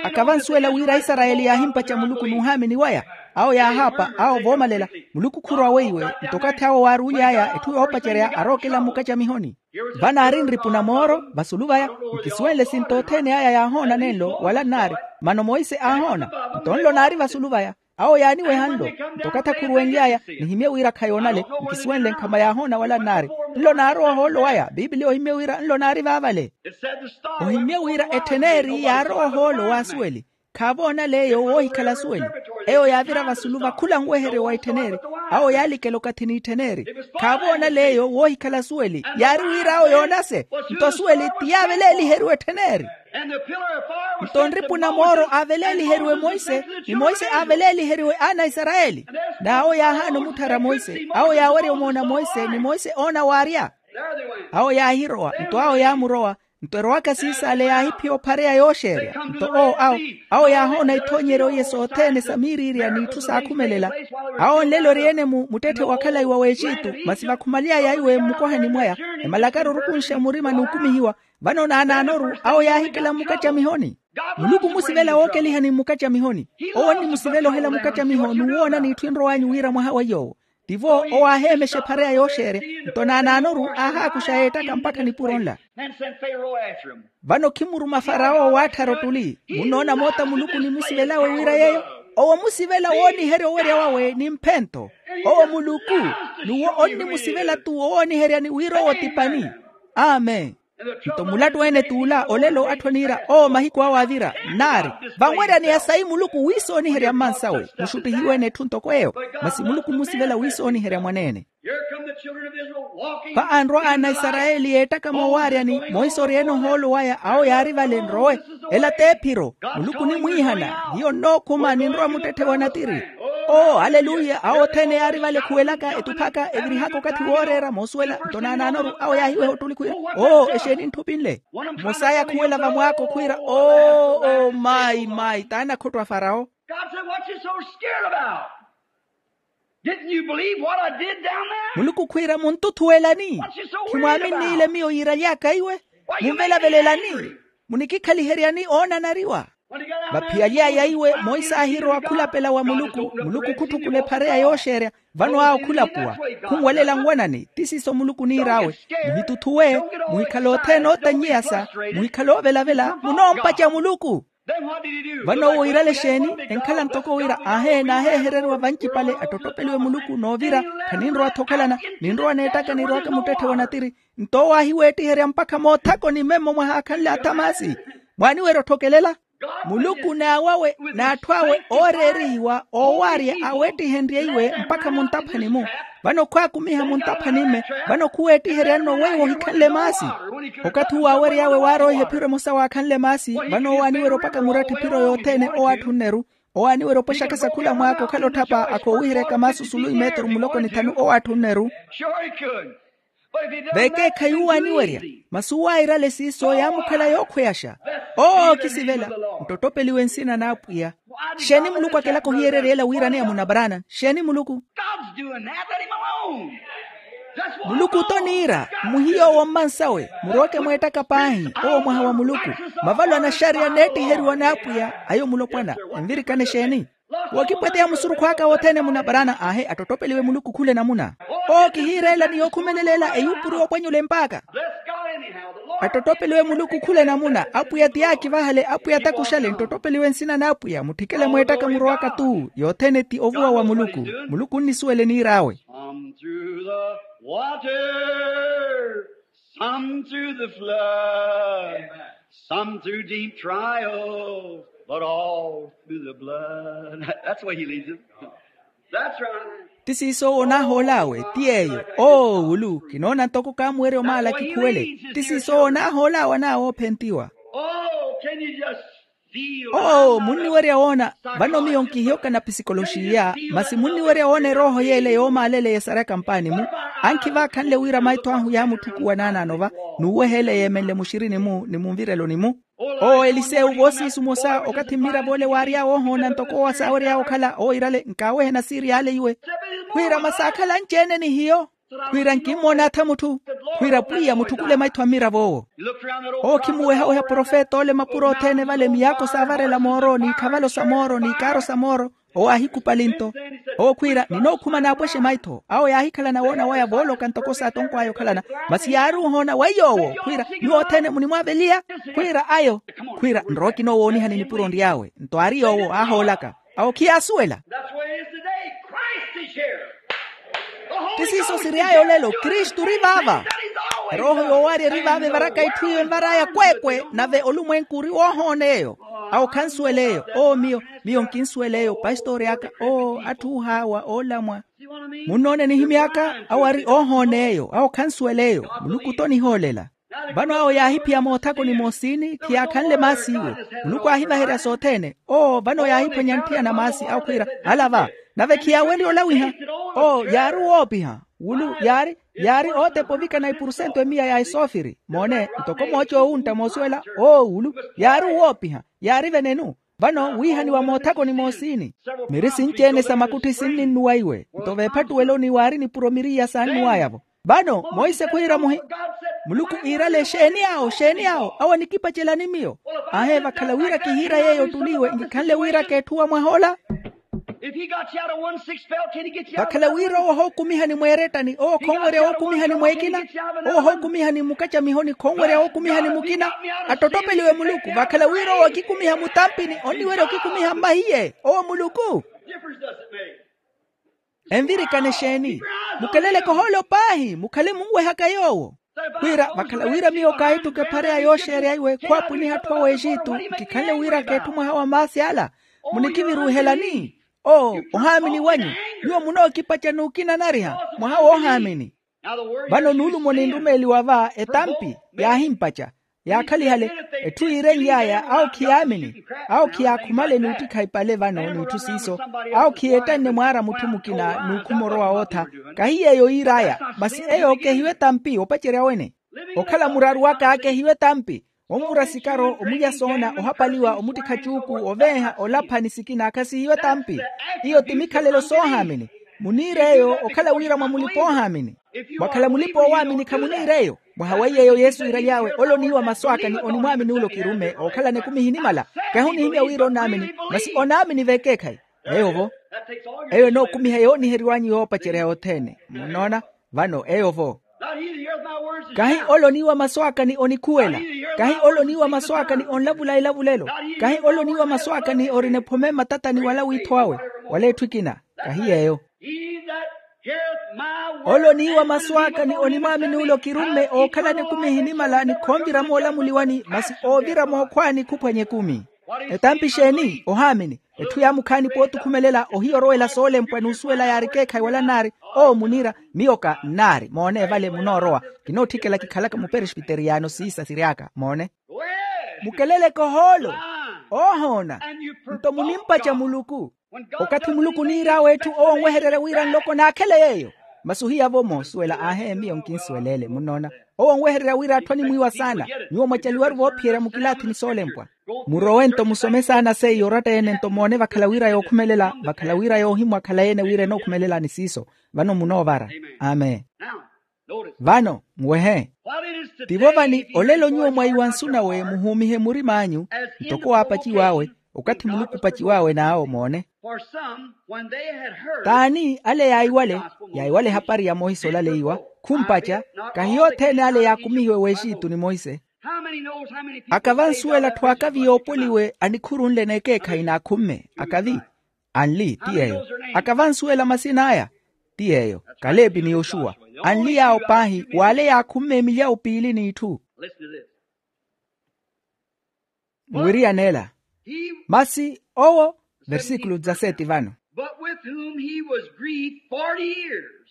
Aka vansuwela wira aisarayeli yaahimpaca muluku n'uhaamini waya. Awo yaahaapa awo voomalela. Muluku khurowa weiwe. Nto okathi awo waaruuly'aya etthu yoopacerya arookela mmukacamihoni. Vanaari nripu na mooro vasulu vaya. Nkisuwenle sinto othene aya yaahoona nenlo wala nnaari. Mano monse aahoona. Nto nlo naari vasulu vaya. Awo yaaniweha nlo. Nto okathi akhuruwenly'aya nihimye wira khayoonale. Nkisuwenle nkhama yaahoona wala nnaari. Nlo naarowa ohoolo waya pipiliya ohimye wira nlo naari vaavale. Ohimye wira etthen'eri yaarowa ohoolo w'asuweli. Khaavoonale eyo woohikhala asuweli. Eyo yaavira vasulu va khula nweheryo wa etthen'eri. Awo yaalikela okathi n'itthen'eri. Khaavoonale eyo woohikhala asuweli yaari wira awo yoonase. Nto asuweli ti yaaveleeliheriwe etthen'eri. Nto nripu na mooro aaveleeliheriwe monse, ni monse aaveleeliheriwe aana a isarayeli. N'awo yaahaana omutthara monse awo yaawerya omoona monse ni monse oona waarya. Awo yaahirowa nto awo yaamurowa. Nto erowaka siisaale yaahiphiya ophareya yooxeerya. Nto oo awo awo yaahoona ithoonyeryo iye sothene sa miiriirya n'itthu saakhumelela. Awo nlelo eri-ene-mu muttetthe wa khalayi wa w'exitu. Masi vakhumaly'aya iwe mmukohani mwaya, emalakari orukunxa murima n'ukumihiwa. Vano naanaanoru awo yaahikela mmukacamihoni. Muluku omusivela wookelihani mmukacamihoni. Owo onnimusivela ohela mukacamiho n'uwoona n'itthu enrow'anyu wira mwaha wa yoowo. Tivo owo aaheemexa ephareya yooxeerya. Nto naanaanoru aahaakuxa yeettaka mpakha nipuro nla. Vano khimuruma farawo waatthara ottuli munnoona moota muluku onimusivelawe wira yeeyo. Owo omusivela wooniherya owerya wawe ni mphento. Owo muluku n'uwo onnimusivela-tu owooniheryani wira owo ti pani. Amen. Nto mulattu ene t'ula olelo atthu aniira oo mahiku awe avira, nnaari vanweryaneya sayi muluku wiisooniherya mmansawe muxuttihiwe-ene etthu ntoko eyo. Masi muluku mmusivela wiisooniherya mwaneene. Pha anrwa ana a isarayeli yeettaka moowaaryani monse oryeene ohoolo waya awo yaari vale nrowe. Ela t'ephiro. Muluku onimwiihana hiyo nnookhuma ninrowa muttetthe wa natiri. Oo aleluya awo othene yaari vale ekhuwelaka etuphaka evirihaka okathi wooreera moosuwela nto naanaanoru awo yaahiweha ottuli khwiira, oo exeeni ntthupi nle. Mmosa aaya khuwela vamwaako khwiira oo oo mayi mayi t'anakhotto a farawo. God said, what you so scared about? Didn't you believe what I did down there? Muluku khwiira munttuthuwelani? Khimwaaminniile miyo yiiraly'aka iwe? Munvelavelelani? Munikikhaliheryani oonanariwa? Vaphiyaly'aya iwe monse aahirowa khulapela wa muluku. Muluku khutthukula ephareya yooxeerya. Vano awo khulapuwa khunwelela nwanani ti siiso muluku oniir'awe. Muhituthuwe. Muhikhale othene ootanyiyasa. Muhikhale oovelavela munoompaca muluku. Vano owo iirale exeeni? Enkhala ntoko wira aahe naaheehereriwa vancipale attottopeliwe muluku noovira. Khaninrowa-tho okhalana. Ninrowa neettaka nirowaka muttetthe wa natiri. Nto owo aahiweettiherya mpakha moothakoni memmo mwahaakhanle athamasi. Mwaaniwerya otthokelela? Muluku n'awawe n'atthu awe ooreerihiwa oowaarya aweettihenrye iwe mpakha muntaphani-mu. Vano khwaakumiha muntaphani-mme. Vano khuweettiherya nno weiwo ohikhanle maasi. Okathi uwo aawery'awe waaroiha ephiro emosa waakhanle maasi. Vano owo aaniwerya opaka muratthi ephiro yothene owo atthu nneru. Owo aaniwerya opwexaka sakhula mwaaka okhala otthapa akhoowiheryaka maasi osulu imeeturu muloko ni thanu owo atthu nneru. Vekeekhayi uwo aaniwerya. Masi uwo airale siiso yaamukhala yookhweyaxa. Oo kisivela. Nttottopeliwe nsina n'apwiya. Xeeni muluku akelaka ohiyererya ela wiiraneya munabaraana? Xeeni muluku? Muluku t'oniira. Muhiye owo mmansawe muroweke mweettaka paahi. Owo mwaha wa muluku. Mavalo anaxariya neettiheriwa n'apwiya ayo mulopwana. Envirikane xeeni? Wookipweteya musurukhu aka wothene munabaraana aahe attottopeliwe muluku khula enamuna. Oo kihiireela ni yookhumelela ela eyuupuriwa opwanyula empaaka. Attottopeliwe muluku khula enamuna apwiya ti aakivahale apwiya takuxale nttottopeliwe nsina n'apwiya mutthikele mweettaka murowaka tu yothene ti ovuwa wa muluku. Muluku onnisuwela eniir'awe. Some through the water, some through the flood, some through deep trials, but all through the blood. That's the way he leads us. That's right. Ti siiso owo onaahool'awe ti yeeyo. Oo wulu kinoona ntoko kaamuwerya omaala kikhuwele. Ti siiso owo onaahool'awe anaawe oophentiwa. Oh, can you just feel? Oo munniwerya woona? Vano miyo nkihiyoka na pisikoloxiya masi munniwerya woona erooho yeele yoomaalele yesaryaka mpaani-mu. Ankhi vaakhanle wira maitho ahu yaamutthukuwa naanaano va n'uweha ele yeemenle muxirini-mu ni munvireloni-mu. Oo elisewu voosiisu mosa okathi mmirav'ole waary'awe ohoona ntoko owo asaawery'awe okhala owo iirale nkaawehena siiri y'ale iwe. Khwiira masi aakhala anci-ene ni hiyo. Khwiira nkimmoona atha mutthu. Khwiira pwiya mutthukule maitho a mmirav'owo. Oo khimuwehaweha profet'ole mapuro othene vale miyaako saavarela mooro n'ikhavalo sa mooro n'ikaaro sa mooro. Owo aahikupali nto. Oo khwiira ninookhuma naapwexe maitho awo yaahikhalana woona waya vooloka ntoko saatonkw'aya okhalana. Masi yaari ohoona weiyo owo khwiira nyuwo othene munimwaaveliya. Khwiira ayo. Khwiira nrowa kinoowoonihani nipuro nry'awe nto aari yoowo aahoolaka. Awo khiyaasuwela. That's where he is today. Christ is here. Ti siiso siryaaya olelo kristu ori vaava. Erooho yoowaarya eri vaava evaraka itthu iyo envar'aya kweekwe nave olumwenku ori woohoona eyo. Awo khansuwel'eyo oo miyo. Miyo nkinsuwel'eyo pastori aka oo atthu oohaawa oolamwa. Munnoona enihimy'aka awo ari oohoona eyo awo khansuwel'eyo. Muluku t'onihoolela. Vano awo yaahiphiya moothakoni moosini khiyaakhanle maasi iwe. Muluku aahivaherya sothene. Oo vano yaahiphwanya ntthiyana maasi awo khwiira ala va. Nave khiyaawenrye olawiha. Oo yaari owoopiha. Wulu yaari yaari ootepa ovikana ipurusento emiya ya esoofiri moone ntoko mooca oowuntta moosuwela. Oo wulu yaari owoopiha. Yaari venenu. Vano wiihaniwa moothakoni moosini. Miri sinci-ene sa makutthi sinninnuwa iwe nto veephattuweloni waari nipuro miriya saannuwaya-vo. Vano monse khwiira muhi. Muluku iirale exeeni awo exeeni awo awo anikipacelani miyo. Aahe vakhala wira kihiira yeeyo ottuli iwe nkikhanle wira keetthuwa mwah'ola. Vakhala wira owo ohookumihani mweerettani owo khonwerya wookumihani mweekina. Owo ohookumihani mmukacamihoni khonwerya wookumihani mukina. Attottopeliwe muluku vakhala wira owo akikumiha mutampini onniwerya okikumiha mmahiye owo muluku. Envirikana exeeni? Mukeleleke ohoolo paahi mukhale munwehaka yoowo. Wira vakhala wira miyo kaahittuka ephareya yooxeerya iwe khwaapwiniha atthu aweexitu, nkikhanle wira k'etthu mwaha wa maasi ala. Munikiviruuhelani? Oo, ohaamini wanyu. Nyuwo munookipaca n'ukinanariha mwaha woohaamini. Vano nuulumo ninrumeeliwa va etampi yaahimpaca, yaakhalihale. Etthu yiirenly'aya awo khiyaamini, awo khiyaakhumale n'uttikha ipale vano n'itthu siiso. Awo khiyeettanne mwaara mutthu mukina n'ukhuma orowa wootha. Kahi yeeyo yiir'aya, masi eyo kehiwe etampi opacerya wene. Okhala muraru waka kehiwe etampi. Onvura sikaro, omulya soona, ohapaliwa, omuttikha cuuku, oveeha, olapha ni sikina khasehiwe etampi. Iyo ti mikhalelo soohaamini. Muniir'eyo okhala wira mwa mulipa oohaamini. Mwakhala mulipa oowaamini khamuniir'eyo. Mwaha wa iy'eyo yesu iiraly'awe ole oniiwa masu aka ni onimwaamini ole okirumme ookhalana ekumi ehinimala. Kahi onihimya wira onaamini, masi onaamini v'ekeekhayi. Eyo-vo. Eyo enookumiha yooniheriw'anyu yoopacerya yothene munnoona. Vano eyo-vo. Kahi ole oniiwa masu aka ni onikhuwela. Kahi ole oniiwa masu aka ni onlavula elavulelo. Kahi ole oniiwa masu aka ni orina ephome mmatatani wala wiitho awe, wala etthu ekina. Kahi yeeyo. Ole oniiwa masu aka ni onimwaamini ole okirumme ookhalana ekumi ehinimala ni khonvira moolamuliwani masi oovira mookhwaani khuphwanya ekumi. Etampi exeeni ohaamini? Etthu yaamukhaani pootukhumelela ohiya orowela soolempwa n'usuwela yaari ekeekhayi wala nnaari. Oo muniira. Miyo ka nnaari moone vale munoorowa. Kinootthikela kikhalaka muperesbiteriyano siisa siry'aka moone. Mukeleleke ohoolo. Oohoona. Nto munimpaca muluku. Okathi muluku oniir'awe etthu owo onwehererya wira nloko naakhele yeeyo. Masi ohiya-vo moosuwela aahe miyo nkinsuwelele munnoona. Owo onwehererya wira atthu animwiiwa saana. Nyuwo mwacaliwaru voophiyerya mukilaathini soolempwa. Murowe nto musome saana seiyo oratta-ene nto moone vakhala wira yookhumelela vakhala wira yoohimwa khalayi-ene wira enookhumelelani siiso. Vano munoovara. Amen. Vano nwehe. Tivo vani olelo nyuwo mwaiwa nsu nawe muhuumihe murim'anyu ntoko waapaciw'awe. Okathi muluku opaciw'awe n'awo moone. T'ani ale yaiwale? Yaiwale ehapari ya monse olaleiwa. Khumpaca. Kahi yothene ale yaakumihiwe w'exitu ni monse. Aka vansuwela atthu akavi yoopoliwe anikhurunle n'ekeekhayi n'akhumme akavi. Anli ti yeeyo. Aka vansuwela masin'aya? Ti yeeyo. Kaleepi ni yoxuwa. Anli yaawo paahi w'ale yaakhumme emilyawu piili n'itthu. Muwiriyan'ela. Masi owo. Versíkulu dezaseti vano. But with whom he was grieved forty years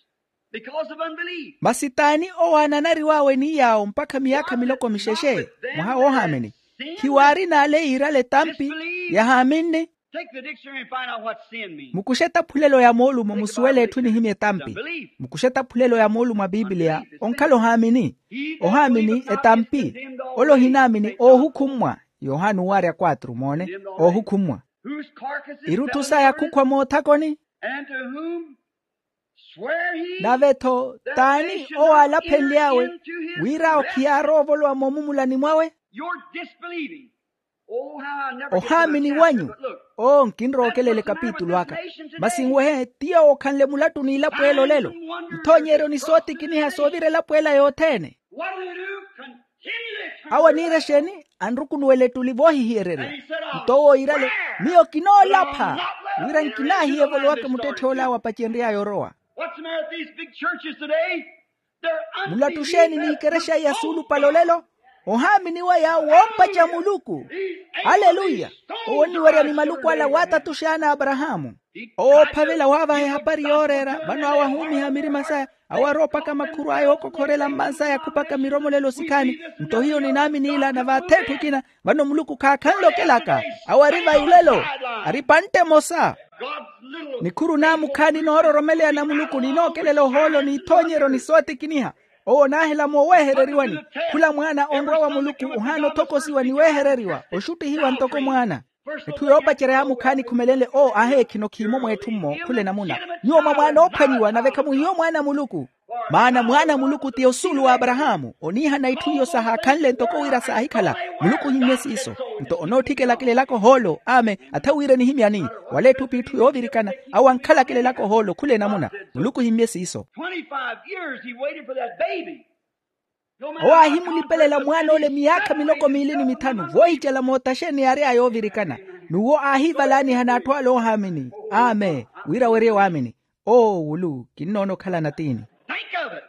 because of unbelief. Masi t'ani owo aananariw'awe ni yaawo mpakha miyaakha miloko mixexe? Mwaha woohaamini. Khiwaari n'ale yiirale etampi yahaaminni. Take the dictionary and find out what sin means. Mukuxe etaphulelo ya moolumo musuwele etthu enihimya etampi. Mukuxe etaphulelo ya moolumo a pipiliya onkhala ohaamini. Ohaamini etampi. Ole ohinaamini oohukhummwa. Yohana owaarya quatro moone. Oohukhummwa. Irutthu saya khukhwa moothakoni. Nave-tho t'ani owo aalaphenly'awe wira owo khiyaarowa ovolowa moomumulani mwawe? Ohaamini wanyu. Oo nkinrookelele kapitulu aka. Masi nwehe ti yowo okhanle mulattu n'ilapweelo olelo. Nthoonyeryo ni sootikiniha soovira elapweela yothene. Awo aniira exeeni? Anrukunuwela ettuli voohihiyererya. Nto owo iirale, miyo kinoolapha wira nkinaahiya evolowaka muttetth'ole awo apacenry'aya orowa. Mulattu exeeni n'ikerexa iya suulupale olelo? Ohaamini waya woompaca muluku. Aleluya. Owo onniwerya ni maluku ala waatatuxana aparahaamu. Owo oophavela waavaha ehapari yooreera vano awo ahuumiha mirima saya. Awo arowa opaka makhuru aya ookokhorela mmansaya khupaka miromolelo sikhaani. Nto hiyo ninaamini ila na vaatheetthu ekina. Vano muluku khaakhanle okelaka. Awo ari vayulelo. Ari pantte emosa. Nikhuru naamukhaani noororomeleya na muluku ninookelela ohoolo n'ithoonyeryo ni sootikiniha. Owo onaahela moowehereriwani. Khula mwaana onrwa wa muluku ohaana othokosiwa ni wehereriwa oxuttihiwa ntoko mwaana. Etthu yoopacerya yaamukhaani khumelenle oo aheekhino khiimo mweetthu-mmo khula enamuna. Nyuwo mwa mwaana oophwanyiwa nave khamuhiyo mwaana a muluku. Maana mwaana a muluku ti osuulu wa aparahaamu oniihana itthu iyo sahaakhanle ntoko wira saahikhala. Muluku ohimmye siiso. Nto onootthikela kelelaka ohoolo amen. Atha wira enihimyani wala etthu p'itthu yoovirikana. Awo ankhalakela ohoolo khula enamuna. Muluku ohimmye siiso. Twenty-five years he waited for that baby. Owo aahimulipelela mwaan'ole miyaakha miloko miili ni mithanu voohicela mootaxeni yaary'aya yoovirikana. N'uwo aahivalaaniha n'atthu ale oohaamini. Amen. Wira werye waamini. Oo wulu kinnoona okhalana tiini. Think of it.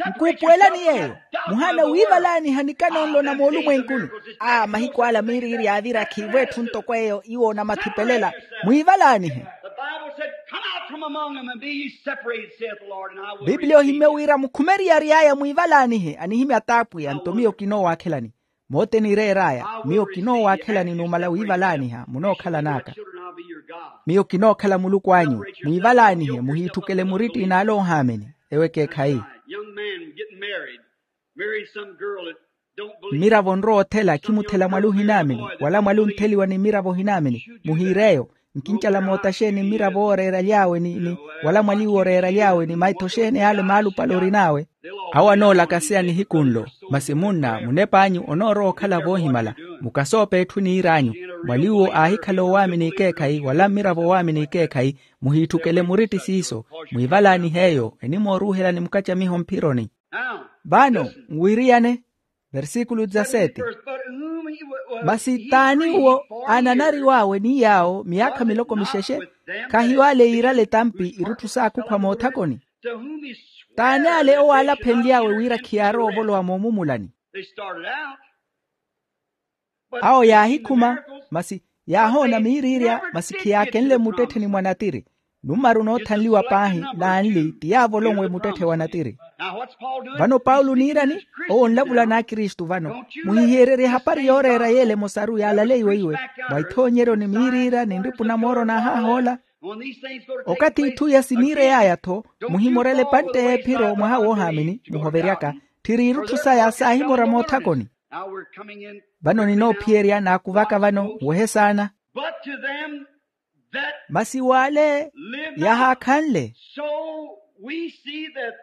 Nkuupuwelani yeeyo. Muhaana wiivalaaniha nikano nlo na moolumwenkuni. A mahiku ala miiriiri yaavira khiivo etthu ntoko eyo iwo onamathipelella. Mwiivalaanihe. Bibliya ohimmye wira mukhume eriyari aya mwiivalaanihe anihimya t'apwiya nto miyo kinoowaakhelani. Moote niireer'aya miyo kinoowaakhelani numala wiivalaaniha munookhalan'aka. Miyo kinookhala muluku anyu. Mwiivalaanihe muhiitthukele muritti n'ale oohaamini. Ewo ekeekhayi. Mmiravo onrowa othela khimuthela mwali ohinaamini wala mwali ontheliwa ni mmiravo ohinaamini. Muhiir'eyo. Nkincala moota xeeni mmiravo ooreeraly'awe ni wala mwaliwe ooreeraly'awe ni maitho xeeni ale maalupale orin'awe. Awo anoolakaseya nihiku nlo. Masi munna munep'anyu onoorowa okhala voohimala. Mukasoope etthu niir'anyu. Mwaliwo aahikhala owaamini ekeekhayi wala mmiravo owaamini ekeekhayi. Muhiitthukele muritti siiso. Mwiivalaanihe eyo enimooruuhela ni mukacamiho mphironi. Vano nwiriyane. Versikulu dezasete. Masi t'ani uwo aananariw'awe ni yaawo miyaakha miloko mixexe? Khahiyo ale yiirale etampi irutthu saakhukhwa moothakoni. T'ani ale owo aalaphenly'awe wira khiyaarowa ovolowa moomumulani? Awo yaahikhuma. Masi yaahoona miiriirya masi khiyaakenle mmuttettheni mwa natiri. Nummaru noothanliwa paahi n'anli ti yaavolonwe muttetthe wa natiri. Vano paulo oniirani? Owo onlavula n'akristu vano. Muhihiyeryerye ehapari yooreera yeela emosaru yaalaleiwe iwe mwa ithoonyeryo ni miiriira ni nripu na mooro n'ahah'ola. Okathi itthu iya siniirey'aya-tho muhimorela epantte y'ephiro mwaha woohaamini muhoveryaka. Tthiri irutthu saya saahimora moothakoni. Vano ninoophiyerya naakuvaka vano nwehe saana. Masi w'ale yahaakhanle.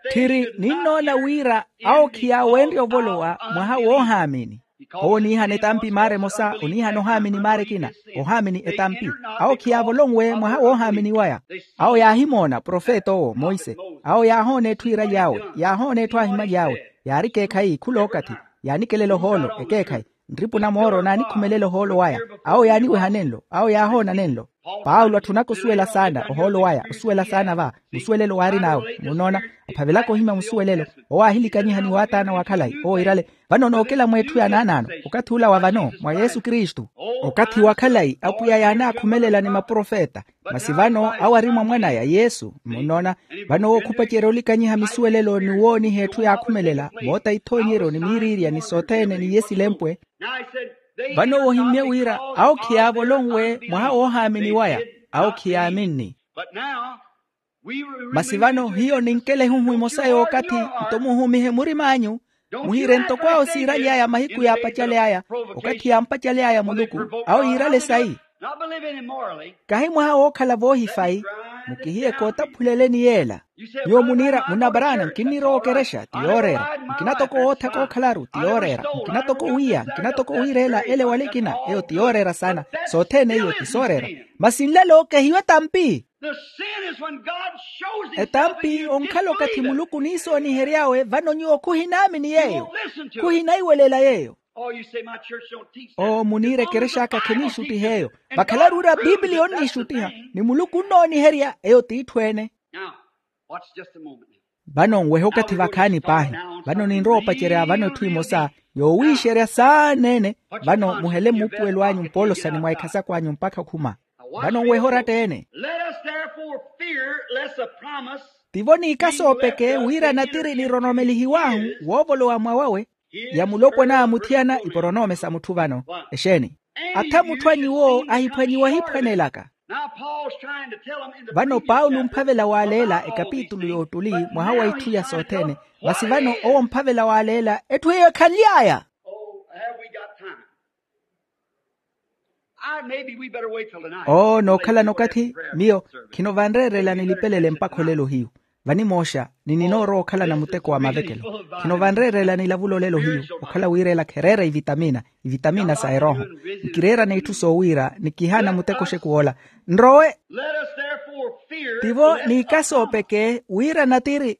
Tthiri ninnoona wira awo khiyaawenrye ovolowa mwaha woohaamini. Owo oniihana etampi maara emosa oniihana ohaamini maara ekina. Ohaamini etampi. Awo khiyaavolonwe mwaha woohaamini waya. Awo yaahimoona profeta owo monse. Awo yaahoona etthu iiraly'awe yaahoona etthu aahimaly'awe. Yaari ekeekhayi khul'okathi yaanikelela ohoolo ekeekhayi. Nripu na mooro naanikhumelela ohoolo waya. Awo yaaniweha nenlo awo yaahoona nenlo. Paulo atthunaka osuwela saana ohoolo waya osuwela saana va musuwelelo waarin'awe munnoona. Aphavelaka ohimya musuwelelo. Owo aahilikanyiha ni waataana wa khalayi owo iirale. Vano nookela mweetthu ya naanaano okathi ula wa vano mwa yesu kristu. Okathi wa khalayi apwiya yaanaakhumelela ni maprofeta. Masi vano awo ari mwa mwanaya yesu munnoona. Vano owo khupacerya olikanyiha misuwelelo ni wooniha etthu yaakhumelela moota ithoonyeryo ni miiriirya ni sothene n'iye silempwe. Vano owo ohimmye wira awo khiyaavolonwe mwaha woohaamini waya. Awo khiyaaminni. Masi vano hiyo ninkela ehuhu emosa y'okathi. Nto muhumihe murim'anyu muhiire ntoko awo siiraly'aya mahiku yaapacaly'aya okathi yaampacaly'aya muluku. Awo yiirale sayi. Kahi mwaha wookhala voohifayi. Mukihiye kootaphuleleni yeela. Nyuwo muniira munna paraana nkinnirowa okerexa ti yooreera. Nkina toko wootha kookhalaru ti yooreera. Nkina toko wiiya nkina toko wiireela ele wala ekina eyo ti yooreera saana. Sothene iyo ti sooreera. Masi nlelo kehiyo etampi. Etampi onkhala okathi muluku oniisoonihery'awe vano nyuwo khuhinaamini yeeyo. Khuhinaiwelela yeeyo. Oo muniira ekerexa aka kheniixuttiha eyo. Vakhalaru wira piipiliya onniixuttiha ni muluku onnooniherya eyo t'itthu ene. Vano nwehe okathi vakhaani paahi. Vano ninrowa opacerya vano etthu emosa yoowiixerya saana ene. Vano muhele muupuwelo anyu mpoolosani mwa ekhasako anyu mpakha okhuma. Vano nwehe oratta ene. Tivo niikasoopeke wira natiri niroromelihiw'ahu woovolowa mwa wawe. Ya mulopwana a muthiyana iporonoome sa mutthu vano. Exeeni? Atha mutthu a nyuwo ahiphwanyiwa ahiphwanelaka. Vano paulo omphavela waaleela ekapitulu y'ottuli mwaha wa itthu iya sothene. Masi vano owo omphavela waaleela etthu eyo ekhanly'aya. Oo nookhalana okathi. Miyo khino vanreerela nilipelele mpakha olelo hiyu. Vanimooxa ni ninoorowa okhalana muteko wa mavekelo. Khino vanreerela nilavula olelo hiyu okhala wiireela khereera ivitamina ivitamina sa erooho. Nkireerana itthu soowiira ni kihaana muteko oxekuw'ola. Nrowe. Tivo niikasoopeke wira natiri.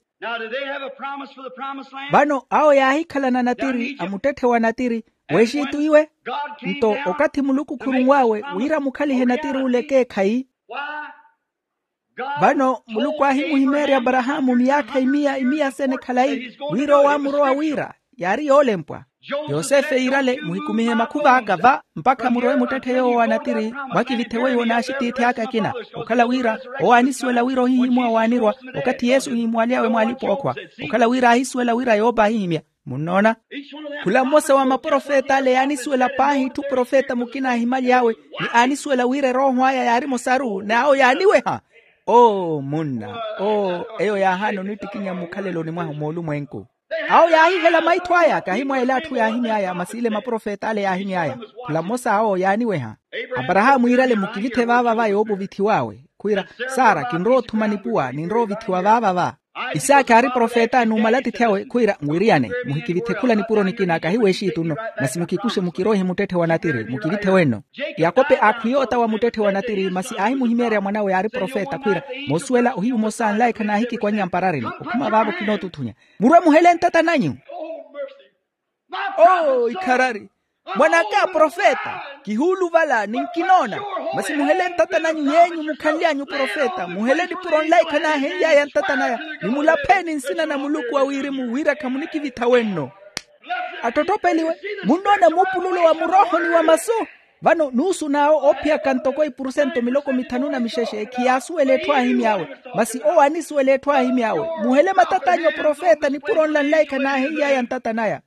Vano awo yaahikhalana natiri a muttetthe wa natiri. W'exitu iwe. Nto okathi muluku khurunw'awe wira mukhalihe natiri ule ekeekhayi. Vano muluku aahimuhimeerya aparahaamu miyaakha imiya imiya sene khalayi, wira owo aamurowa wira yaari yoolempwa. Yosefe yiirale muhikumihe makhuva aka va mpakha murowe muttetthe yoowo wa natiri, mwakivithe weiwo n'axitiithi aka akina. Okhala wira owo aanisuwela wira ohihimuwa waanirwa okathi yesu ohimuwaly'awe mwaalipa ookhwa. Okhala wira aahisuwela wira yoopa ahihimya. Munnoona? Khula mmosa wa maprofet'ale yaanisuwela paahi itthu profeta mukina aahimaly'awe, ni aanisuwela wira erooho aya yaari mosaru n'awo yaaniweha. Oo munna, oo eyo yaahaana onittikinya mmukhaleloni mwahu moolumwenku. Awo yaahihela maitho aya kahi mwa ela atthu yaahimy'aya masi ile maprofet'ale yaahimy'aya. Khula mmosa awo yaaniweha. Aparahaamu yiirale mukivithe vaava va yoopuvithiw'awe, khwiira, sara kinrowa othuma nipuwa ninrowa ovithiwa vaava va. Isaaki aari profeta numala atiithi awe khwiira, nwiriyane, muhikivithe khula nipuro nikina kahi w'exiitu nno, masi mukikuxe mukiroihe muttetthe wa natiri mukivithe wenno. Yakope aakhwiya ota wa muttetthe wa natiri masi aahimuhimeerya mwan'awe yaari profeta khwiira, moosuwela ohiyu omosa anlaikha naahikikwanya mparareni okhuma vaavo kinootuthunya. Murwe muhele ntata nanyu. Oo ikharari, mwan'aka profeta, kihuuluvala ni nkinoona. Masi muhele ntata nanyu yeenyu mukhanly'anyu profeta muhele nipuro nlaikha naahenly'aya ntata naya, ni mulapheni nsina na muluku wa wirimu wira khamunikivitha wenno. Attotthopeliwe, munnoona muupululo wa muroohoni wa masu. Vano nuusu n'awo oophiyaka ntoko ipurusento miloko mithanu na mixexe khiyaasuwela etthu aahimy'awe. Masi owo aanisuwela etthu aahimy'awe, muhele matat'anyu aprofeta nipuro nla nlaikha naahenly'aya ntata naya.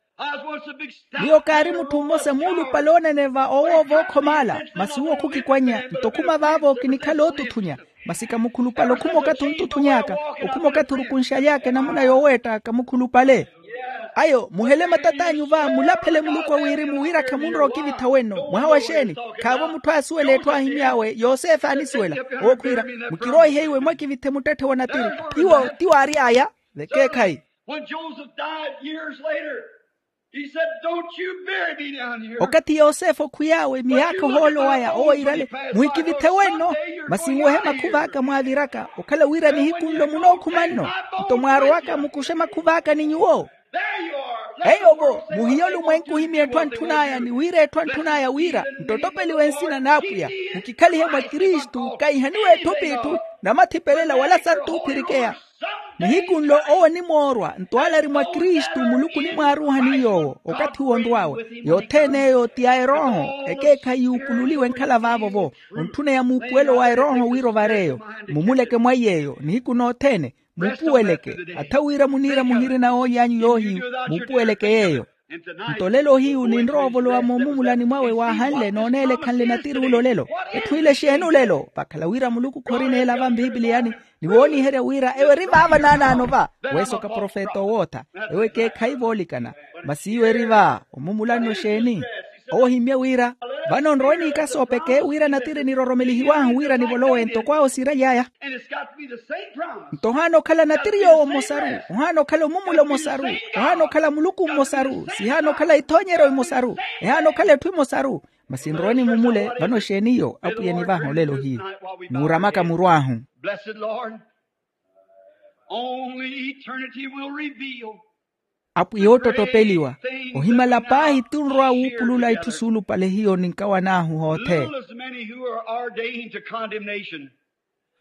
Miyo kaari mutthu mmosa muulupale onene va owoova okhomaala, masi uwo khukikwannya nto khuma vaavo kinikhala ootuthunya. Masi kamukhulupale okhuma okathi ontuthuny'aka, okhuma okathi orukunxaly'aka enamuna yooweetta kamukhulupale. Ayo muhele matat'anyu va mulaphele muluku wa wirimu wira khamunrowa okivitha wenno mwaha wa xeeni? Khaavo mutthu aasuwela etthu aahimy'awe yosefe aanisuwela. Owo khwiira, mukiroihe iwe mwakivithe muttetthe wa natiri. Iwo ti waary'aya. Vekeekhayi. When Joseph died years later, he said, "Don't you bury me down here." Okathi yosefe okhwiy'awe miyaakha ohoolo waya owo yiirale, muhikivithe wenno. Masi nwehe makhuva aka mwaaviraka okhala wira nihiku nlo munookhuma nno, nto mwaarowaka mukuxe makhuva aka ni nyuwo. Eyo-vo muhiye olumwenku ohimya etthu antthun'aya ni wira etthu antthun'aya wira, nttotopeliwe nsina n'apwiya, mukikhalihe mwa kristu kaihaniwe etthu p'itthu, namathipelela wala santuuphirikeya. Nihiku nlo owo onimoorwa nto ale ari mwa kristu muluku onimwaaruuhani yoowo okathi uwo onrw'awe. Yothene eyo ti ya erooho, ekeekhayi yuupululiwe enkhala vaavo-vo. Ontthuneya muupuwelo wa erooho wira ovar'eyo, mumuleke mwa iy'eyo nihiku nothene. Muupuweleke, atha wira muniira muhirina ooly'anyu yoohiyu. Muupuweleke yeeyo. Nto olelo ohiyu ninrowa ovolowa moomumulani mwawe waahanle nooneela ekhanle natiri ula olelo. Etthu ile exeeni olelo vakhala wira muluku khorineela va mpipiliyani, ni wooniherya wira ewo eri vaava naanaano va. Weesoka profeta owootha, ewo ekeekhayi voolikana. Masi iwo eri va omumulani oxeeni? Owo ohimmye wira, vano nrowe n'ikasoopeke wira natiri niroromelihiw'ahu wira nivolowe ntoko awo siiraly'aya. Nto ohaana okhala natiri yoowo mmosaru, ohaana okhala omumula omosaru, ohaana okhala muluku mmosaru sihaana okhala ithoonyeryo imosaru, ehaana okhala etthu imosaru. Masi nrowe nimumule vano exeeni iyo apwiya enivaaha olelo hiyo? Muuramaka muru ahu. Blessed lord, only eternity will reveal. Apwiya oottottopeliwa, ohimala paahi ti onrowa wuupulula itthu suulupale hiyo ninkawan'ahu hoothene. Little as many who are ordained to condemnation.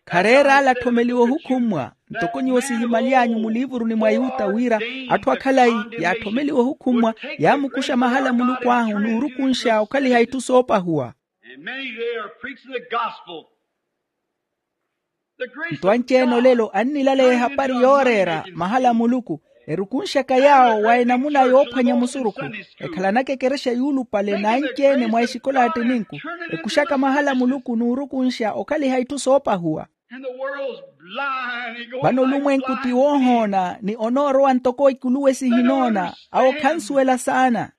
Khareera ale atthomeliwa ohukhummwa, ntoko nyuwo sihimaly'anyu muliivuruni mwa yuta wira atthu akhalayi yaathomeliwa ohukhummwa yaamukuxa mahala muluku ahu n'urukunxa okhaliha itthu soopahuwa. And many today are preaching the gospel. Nto anci-ene olelo annilaleya ehapari yooreera mahala a muluku, erukunxaka yaawo wa enamuna yoophwanya musurukhu, ekhalanaka ekerexa yuulupale n'anci-ene mwa exikola attininku, ekuxaka mahala a muluku n'urukunxa okhaliha itthu soopahuwa. Vano olumwenku ti woohoona ni onoorowa ntoko ikuluwe sihinoona. Awo khansuwela saana.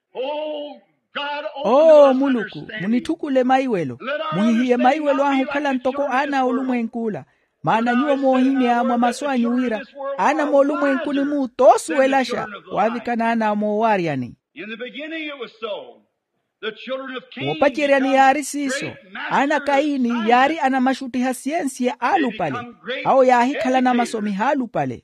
Oo muluku, munitthukule maiwelo. Muhihiye maiwelo ahu okhala ntoko aana a olumwenk'ula. Maana nyuwo moohimya mwa masu anyu wira aana moolumwenkuni-mu toosuwelaxa waavikana aana moowaaryani. Woopaceryani yaari siiso. Aana a kayini yaari anamaxuttiha siyensiya aalupale. Awo yaahikhala anamasomiha aalupale.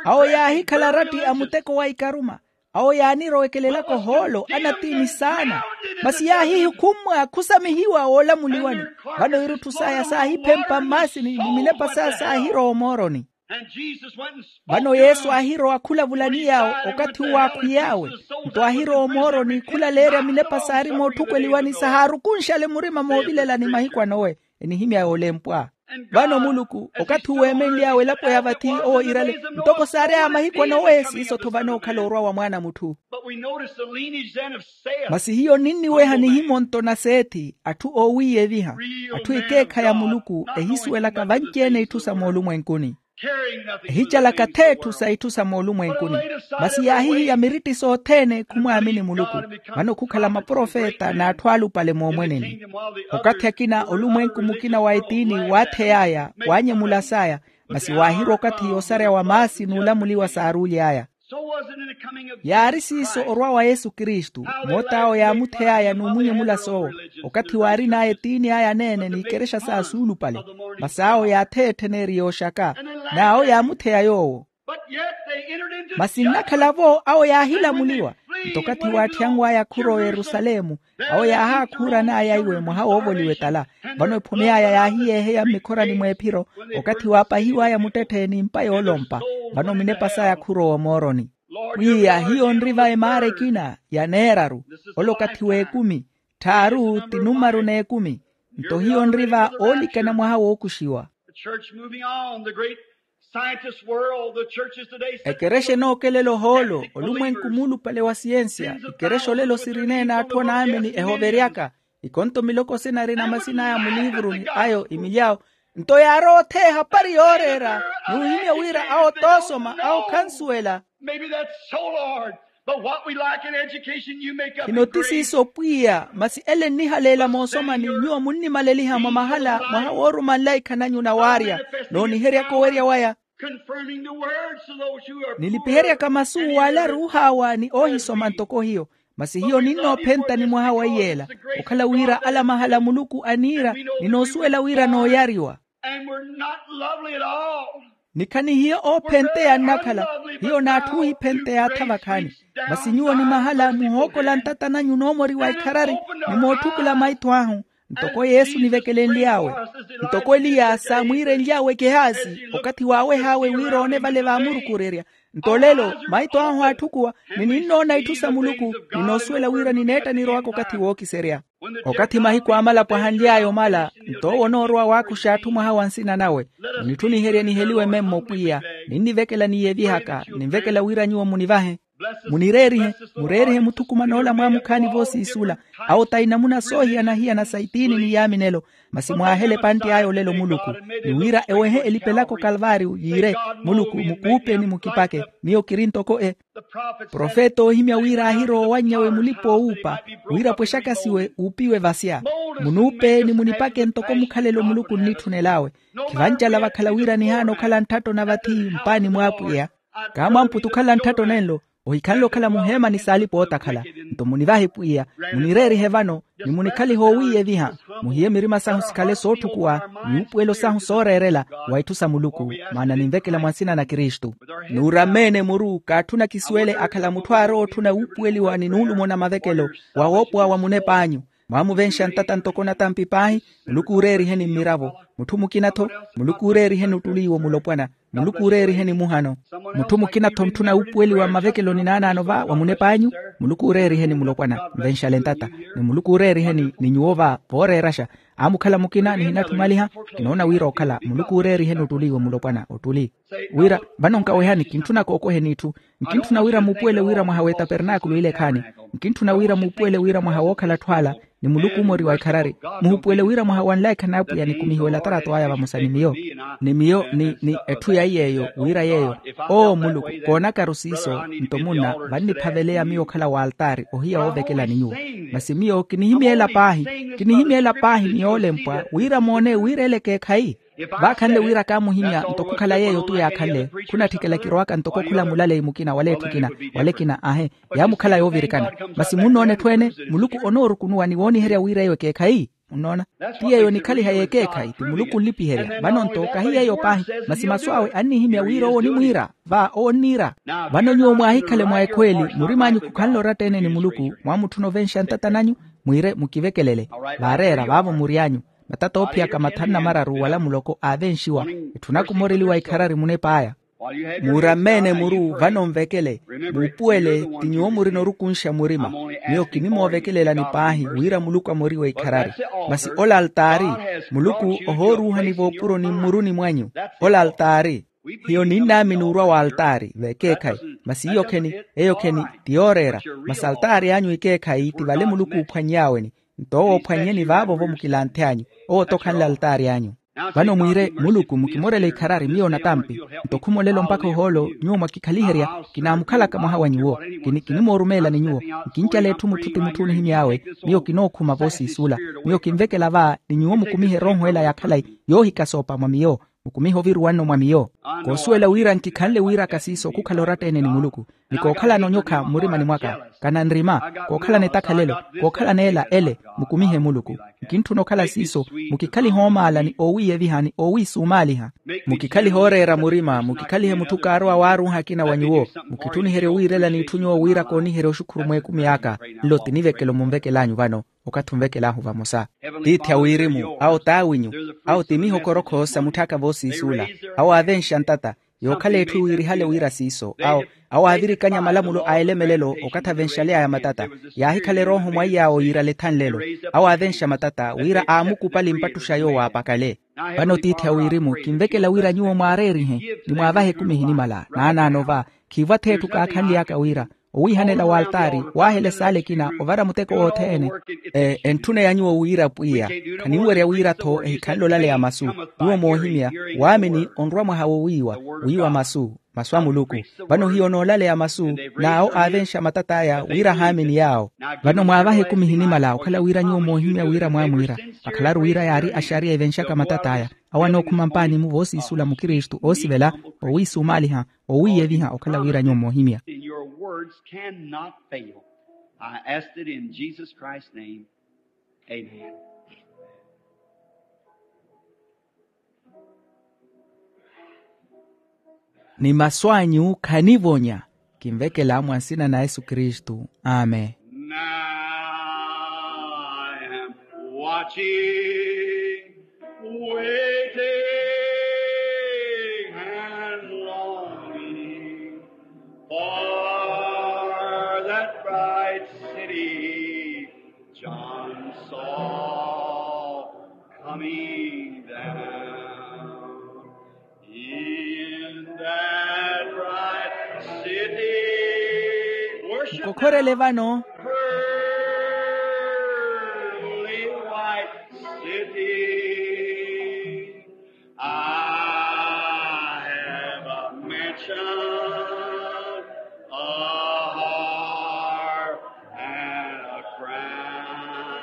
Awo yaahikhala aratti a muteko wa ikaruma. Awo yaanirowekelelaka ohoolo anatiini saana. Masi yaahihikhumwa khusamihiwa woolamuliwani. Vano irutthu saya saahiphempa mmaasini ni minepa saya saahirowa omooroni. Vano yesu aahirowa khulavulani yaawo. Okathi uwo aakhwiy'awe, nto aahirowa omooroni khulaleerya minepa saari mootthukweliwani sahaarukunxale murima moovilelani mahiku anowe. Enihimya yoolempwa. Vano muluku okathi uwo eemenly'awe elapo ya vathi owo iirale, ntoko saary'aya mahiku anowe siiso-tho vano okhala orwa wa mwaana a mutthu. Masi hiyo ninniweha nihimo-nto na seethi atthu oowiiyeviha, atthu ekeekhayi a muluku ehisuwelaka vanci-ene itthu sa moolumwenkuni. Ehicalaka th'etthu sa itthu sa moolumwenkuni. Masi yaahihiya miritti sothene khumwaamini muluku. Vano khukhala maprofeta n'atthu alupale moomweneni. Okathi akina olumwenku mukina wa etiini waathey'aya, waanyemulas'aya. Masi waahirwa okathi yoosarya wa maasi n'ulamuliwa saaruuly'aya. Yaari siiso orwa wa yesu kristu. Moot'awo yaamuthey'aya n'umunyemula soowo. Okathi waarin'aya etiini aya aneene n'ikerexa saya suulupale. Masi awo yaatheya ettheneri yooxaka. N'awo yaamutheya yoowo. Masi nnakhala-vo awo yaahilamuliwa. Nto okathi waatthiyanw'aya khuro oyerusalemu, awo yaahaakhurana-aya iwe mwaha woovoliwa etala. Vano ephumi aya yaahiyeeheya mmikhorani mw'ephiro. Okathi waapahiw'aya muttetthe n'impa yoolompa, vano minepa saya khuro omooroni. Pwiya hiyo nri va emaara ekina ya neeraru. Ole okathi w'ekumi. Tthaaru ti numaru n'ekumi. Nto hiyo nri va oolikana mwaha wookuxiwa. Ekerexa enookelela ohoolo olumwenku muulupale wa siyensiya. Ikerexa olelo sirineene atthu anaamini ehoveryaka. Ikonto miloko sina arina masin'aya muliivuruni ayo imilyawo. Nto yaarowa otheya ehapari yooreera, n'uhimya wira awo t'osoma awo khansuwela. Khino ti siiso pwiya masi ele nnihaleela moosomani nyuwo munnimaleliha mwa mahala mwaha woorumanla ikhananyu na waarya, n'oniheryaka owerya waya. Nilipiheryaka masu w'ale aruuh'awa ni oohisoma ntoko hiyo. Masi hiyo ninnoophentani mwaha wa iyeela, okhala wira ala mahala muluku aniira, ninoosuwela wira nooyariwa. Ni khanihiyo oophenteya nnakhala. Hiyo n'atthu ohiphenteya atha vakhaani. Masi nyuwo ni mahala muhookola ntata nanyu noomoriwa ikharari, ni mootthukula maitho ahu. Ntoko yesu nivekelenly'awe, ntoko eliya saamwiirenly'awe kehazi, okathi waaweh'awe wira oone vale vaamurukurerya. Nto olelo maitho ahu aatthukuwa, ni ninnoona itthu sa muluku, ninoosuwela wira nineetta nirowaka okathi wookiserya. Okathi mahiku a malapo ahanly'aya omala, nto owo onoorowa waakuxa atthu mwaha wa nsina nawe. Munitthuniherye niheliwe memmo pwiya. Ninnivekela niiyevihaka, ninvekela wira nyuwo munivahe. Munireerihe, mureerihe muthukuman'ola mwaamukhaani voosiisula. Awo ta inamuna soohiyana-hiyana sa itiini ni yaaminelo. Masi mwaahele epantte aya olelo muluku, ni wira ewehe elipelaka okalvaariyo yiire, muluku mukuupe ni mukipake. Miyo kiri ntoko e profeta oohimya wira aahirowa owanny'awe mulipa-oowuupa, wira pwexakasiwe uupiwe vasya. Munuupe ni munipake ntoko mukhalelo muluku nnitthunelay'awe. Khivancala vakhala wira nihaana okhala ntthatto na vathi mpaani mw'apwiya. Kaamwamputa okhala ntthatto nenlo, ohikhanle okhala muheemani saalipa ootakhala. Nto munivahe pwiya, munireerihe vano, ni munikhalihe oowiiyeviha. Muhiye mirima sahu sikhale sootthukuwa, ni wuupuwelo sahu sooreerela, wa itthu sa muluku. Maana ninvekela mwa nsina na kristu. Nuurameene muru kaatthuna kisuwele akhala mutthu aarowa otthuna wuupuweliwa ni nuulumo na mavekelo, wa woopowa wa munep'anyu. Mwaamuvenxa ntata ntoko natampi paahi. Muluku uureeriheni mmiravo. Mutthu mukina-tho, muluku uureeriheni ottuli iwo mulopwana. Muluku uureeriheni muhano. Mutthu mukina-tho mutthuna wuupuweliwa mmavekeloni naanaano va wa munep'anyu. Muluku uureeriheni mulopwana. Nvenxale ntata. Ni muluku uureeriheni ni nyuwo va vooreeraxa. Aamukhala mukina nihinatthumaliha. Kinoona wira okhala muluku uureeriheni ottuli iwo mulopwana ottuli. Wira vano nkawehani kintthuna kookweheni itthu. Nkintthuna wira muupuwele wira mwaha w'etapernaakulu ile ekhaani. Nkintthuna wira muupuwele wira mwaha wookhala atthu ala. Ni muluku omoriwa ikharari. Muhupuwele wira mwaha wa nlaikha n'apwiya nikumihiwe latarato aya vamosa ni miyo. Ni miyo ni ni etthu ya iy'eyo wira yeeyo. Oo muluku, koonakaru siiso. Nto munna vanniphaveleya miyo okhala w'altaari ohiya woovekelani nyuwo. Masi miyo kinihimya ela paahi. Kinihimya ela paahi ni yoolempwa wira moone wira ela ekeekhayi. Vaakhanle wira kaamuhimya ntoko okhala yeeyo tu yaakhanle. Khunatthikela kirowaka ntoko okhala mulaleyi mukina wala etthu ekina wala ekina ahe. Yaamukhala yoovirikana. Masi munnoona etthu ene muluku onoorukunuwa ni wooniherya wira eyo ekeekhayi. Munnoona? Ti yeeyo onikhaliha y'ekeekhayi ti muluku onlipiherya vano-nto kahi yeeyo paahi. Masi masu awe annihimya wira owo onimwiira. Va owo onniira. Vano nyuwo mwaahikhale mwa ekhweeli, murim'anyu khukhanle oratta-ene ni muluku. Mwaamutthuna ovenxa ntata nanyu, mwiire mukivekelele. Vaareera vaavo mury'anyu. Matata oophiyaka mathanu na mararu wala muloko aavenxiwa. Etthu nakumoreliwa ikharari munep'aya. Muuramme-ene muru vano nvekele. Muupuwele, ti nyuwo murina orukunxa murima. Miyo kinimoovekelelani paahi wira muluku amoriwe ikharari. Masi ola altaari, muluku ohooruuhani voopuroni mmuruni mwanyu. Ola altaari. Hiyo ninnaamini orwa w'altaari v'ekeekhayi. Masi iyo kheni, eyo kheni ti yooreera. Masi altaari anyu ekeekhayi ti vale muluku oophwanny'aweni. Nto owo ophwannyeni vaavo-vo mukilanthe anyu. Owo-to khanle altaari anyu. Vano mwiire muluku mukimorele ikharari miyo natampi. Nto khumolelo mpakha ohoolo nyuwo mwakikhaliherya. Kinaamukhalaka mwaha wa nyuwo. Kini kinimoorumeelani nyuwo. Nkincala etthu mutthu ti mutthu onihimy'awe. Miyo kinookhuma voosiisula. Miyo kinvekela va ni nyuwo mukumihe erooho ela ya khalayi yoohikasoopa mwa miyo. Mukumihe oviruwa nno mwa miyo. Koosuwela wira nkikhanle wiiraka siiso khukhala oratta-ene ni muluku. Ni kookhalana onyokha mmurimani mwaka. Kana nrima. Kookhalana etakhalelo. Kookhalana ela ele. Mukumihe muluku. Nkintthuna okhala siiso. Mukikhalihe oomaala ni oowiiyeviha ni oowiisumaaliha. Mukikhalihe ooreera murima mukikhalihe mutthu kaarowa waaruuha akina wa nyuwo. Mukitthuniherye owiirela n'itthu nyuwo wira kooniherye oxukhuru mw'ekumi aka. Nlo ti nivekelo munvekel'anyu vano. Okathi onvekel'ahu vamosa. Tiithi a wirimu awo t'awinyu. Awo ti mihokorokho sa mutthu aka voosiisuula. Awo aavenxa ntata. Yookhala etthu wiirihale wira siiso awo. Awo aavirikanya malamulo a elemelelo okathi avenxaly'aya matata. Yaahikhala erooho mwaiy'awo yiirale thanlelo. Awo aavenxa matata wira aamukupali mpattuxa yoowo aapakale. Vano tiithi a wirimu kinvekela wira nyuwo mwaareerihe ni mwaavahe ekumi ehinimala naanaano va. Khiivo atheetthu kaakhanly'aka wira owiihanela w'altaari waahela esaala ekina ovara muteko wothene. Entthuneya nyuwo wira pwiya khaninwerya wira-tho ehikhanle olaleya masu. Nyuwo moohimya waamini onrwa mwaha wowiiwa wiiwa masu. Masu a muluku. Vano hiyo noolaleya masu n'awo aavenxa matat'aya wira ahaamini yaawo. Vano mwaavaha ekumi ehinimala okhala wira nyuwo moohimya wira mwaamwiira. Vakhalaru wira yaari axariya evenxaka matat'aya. Awo anookhuma mpaani-mu voosiisula mukristu oosivela owiisumaaliha owiiyeviha okhala wira nyuwo moohimya. In your words cannot fail. I asked it in Jesus Christ's name. Amen. Ni masu anyu khanivonya. Kinvekela mwa nsina na yesu kristu. Amen. Now I am watching, waiting and longing for that bright city John saw coming down. In that bright city, worship. Mukokhorele vano. Pearly white city, I have a mansion, a heart, and a crown.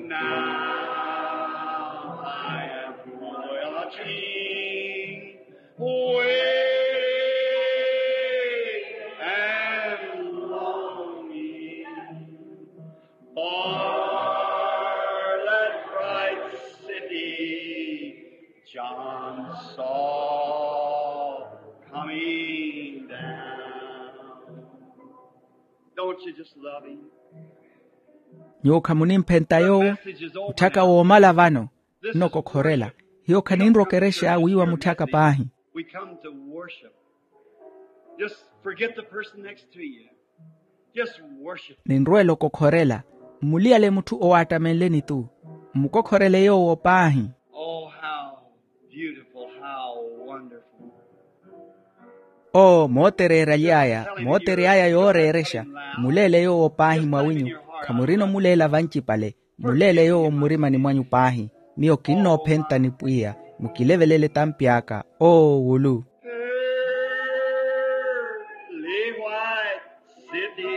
Now I am watching, waiting, and longing for that bright city John saw coming down. Don't you just love him? Nyuwo khamunimphenta yoowo. Mutthaka woomala vano nnokokhorela. Hiyo khaninrokerexa wiiwa mutthaka paahi. We come to worship. Just forget the person next to you. Just worship. Ninrwela okokhorela. Mmuliyale mutthu owaattamenleni-tu. Mmukokhorele yoowo paahi. Oh how beautiful, how wonderful. Oo mootereeraly'aya mootery'aya yooreerexa. Mmuleele yoowo paahi mwawinyu. Khamurina omuleela vancipale. Mmuleele yoowo mmurimani mwanyu paahi. Miyo kinnoophenta ni pwiya. Mukilevelele tampi aka. Oo wulu. Pearly white city.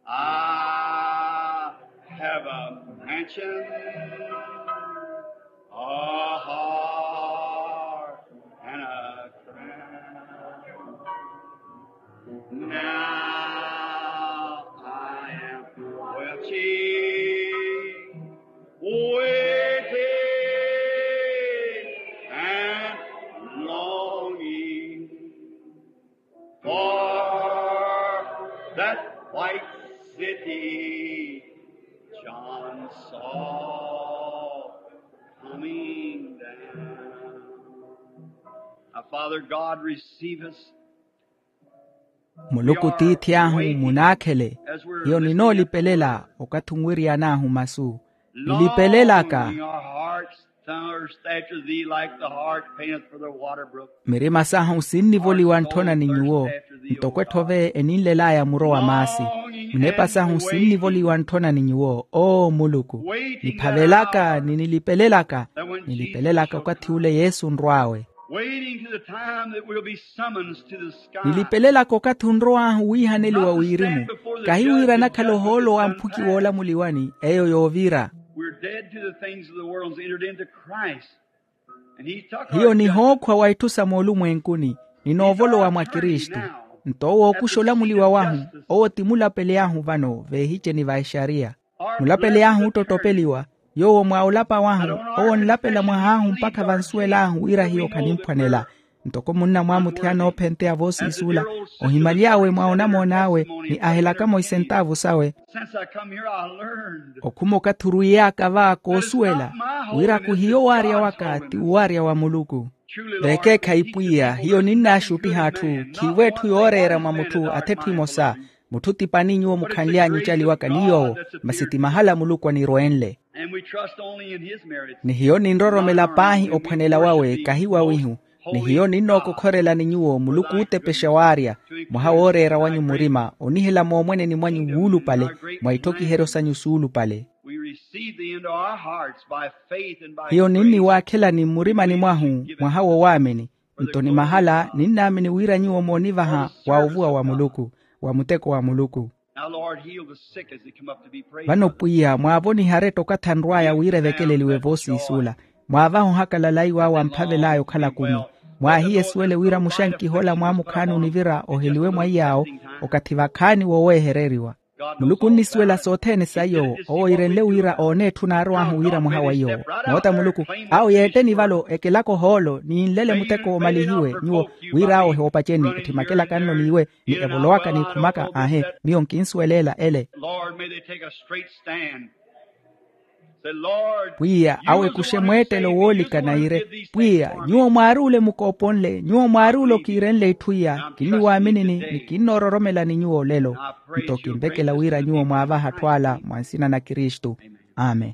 I have a mansion, a heart, and a crown. Now I am wealthy. John saw coming down. Now, Father God, receive us. Muluku tiithi ahu munaakhele. Hiyo ninoolipelela okathi onwiriyan'ahu masu. Nilipelelaka. Longing our hearts thirst after thee like the hart panteth for the water brook. Mirima sahu sinnivoliwa ntthona ni nyuwo, ntoko etthove eninlel'aya muro wa maasi. Nnepa sahu sinnivoliwa ntthona ni nyuwo oo muluku. Niphavelaka ni nilipelelaka. Nilipelelaka okathi ule yesu onrw'awe. Waiting to the time that we'll be summoned to the sky. Nilipelelaka okathi onrow'ahu wiihaneliwa wirimu. Kahi wira nakhala ohoolo wa mphuki woolamuliwani eyo yoovira. We're dead to the things of the world and entered into Christ. Hiyo nihookhwa wa itthu sa moolumwenkuni. Ninoovolowa mwa kristu. Nto owo okuxa olamuliwa wahu. Owo ti mulapeli ahu vano veehiceni va exariya. Mulapeli ahu ottottopeliwa. Yoowo mwa olapa wahu owo onlapela mwah'ahu mpakha vansuwel'ahu wira hiyo khanimphwanela. Ntoko munna mwamuthiya noophenteya voosiisuula ohimaly'awe mwa onamoon'awe ni ahelakamo isentaavu sawe. Okhuma okathi orwiyaaka va koosuwela wira khuhiyo waarya waka ti uwaarya wa muluku. Vekeekhayi pwiya hiyo ninnaaxuttiha atthu khiivo etthu yooreera mwa mutthu ath'etthu emosa. Mutthu ti pani nyuwo mukhanly'anyu ocaliwaka ni yoowo. Masi ti mahala muluku anirwenle. Ni hiyo ninroromela paahi ophwanela wawe kahi wawihu. Ni hiyo ninnookokhorelani nyuwo muluku ootepexa waarya mwaha wooreera wanyu murima onihela moomweneni mwanyu wuulupale mwa itthokiheryo sanyu suulupale. Hiyo ninniwaakhelani mmurimani mwahu mwaha wo waamini. Nto ni mahala ninnaamini wira nyuwo moonivaha wa ovuwa wa muluku wa muteko wa muluku. Vano pwiya mwaavonihe aretta okathi anrw'aya wira evekeleliwe voosiisuula. Mwaavaha ohakalala iwaawo amphavel'aya okhala kumi. Mwaahiye esuwele wira muxankiha ola mwaamukhaani onivira oheliwe mwa iyaawo okathi vakhaani woweehereriwa. Muluku onnisuwela sothene sa iyoowo owo iirenle wira oone etthu naarow'ahu wira mwaha wa iyoowo. Moota muluku awo yeetteni valo ekelaka ohoolo ni yinlele muteko omalihiwe nyuwo wira awo ehoopaceni ettimakelaka nno n'iwe ni evolowaka n'ikhumaka aahe. Miyo nkinsuweleela ele. Pwiya awo ekuxe mweettelo woolikana iire. Pwiya nyuwo mwaari ole mukooponle nyuwo mwaari ole okiirenle itthu iya kinniwaaminini ni kinnoororomelani nyuwo olelo. Nto kinvekela wira nyuwo mwaavaha atthu ala mwa nsina na kristu. Amen.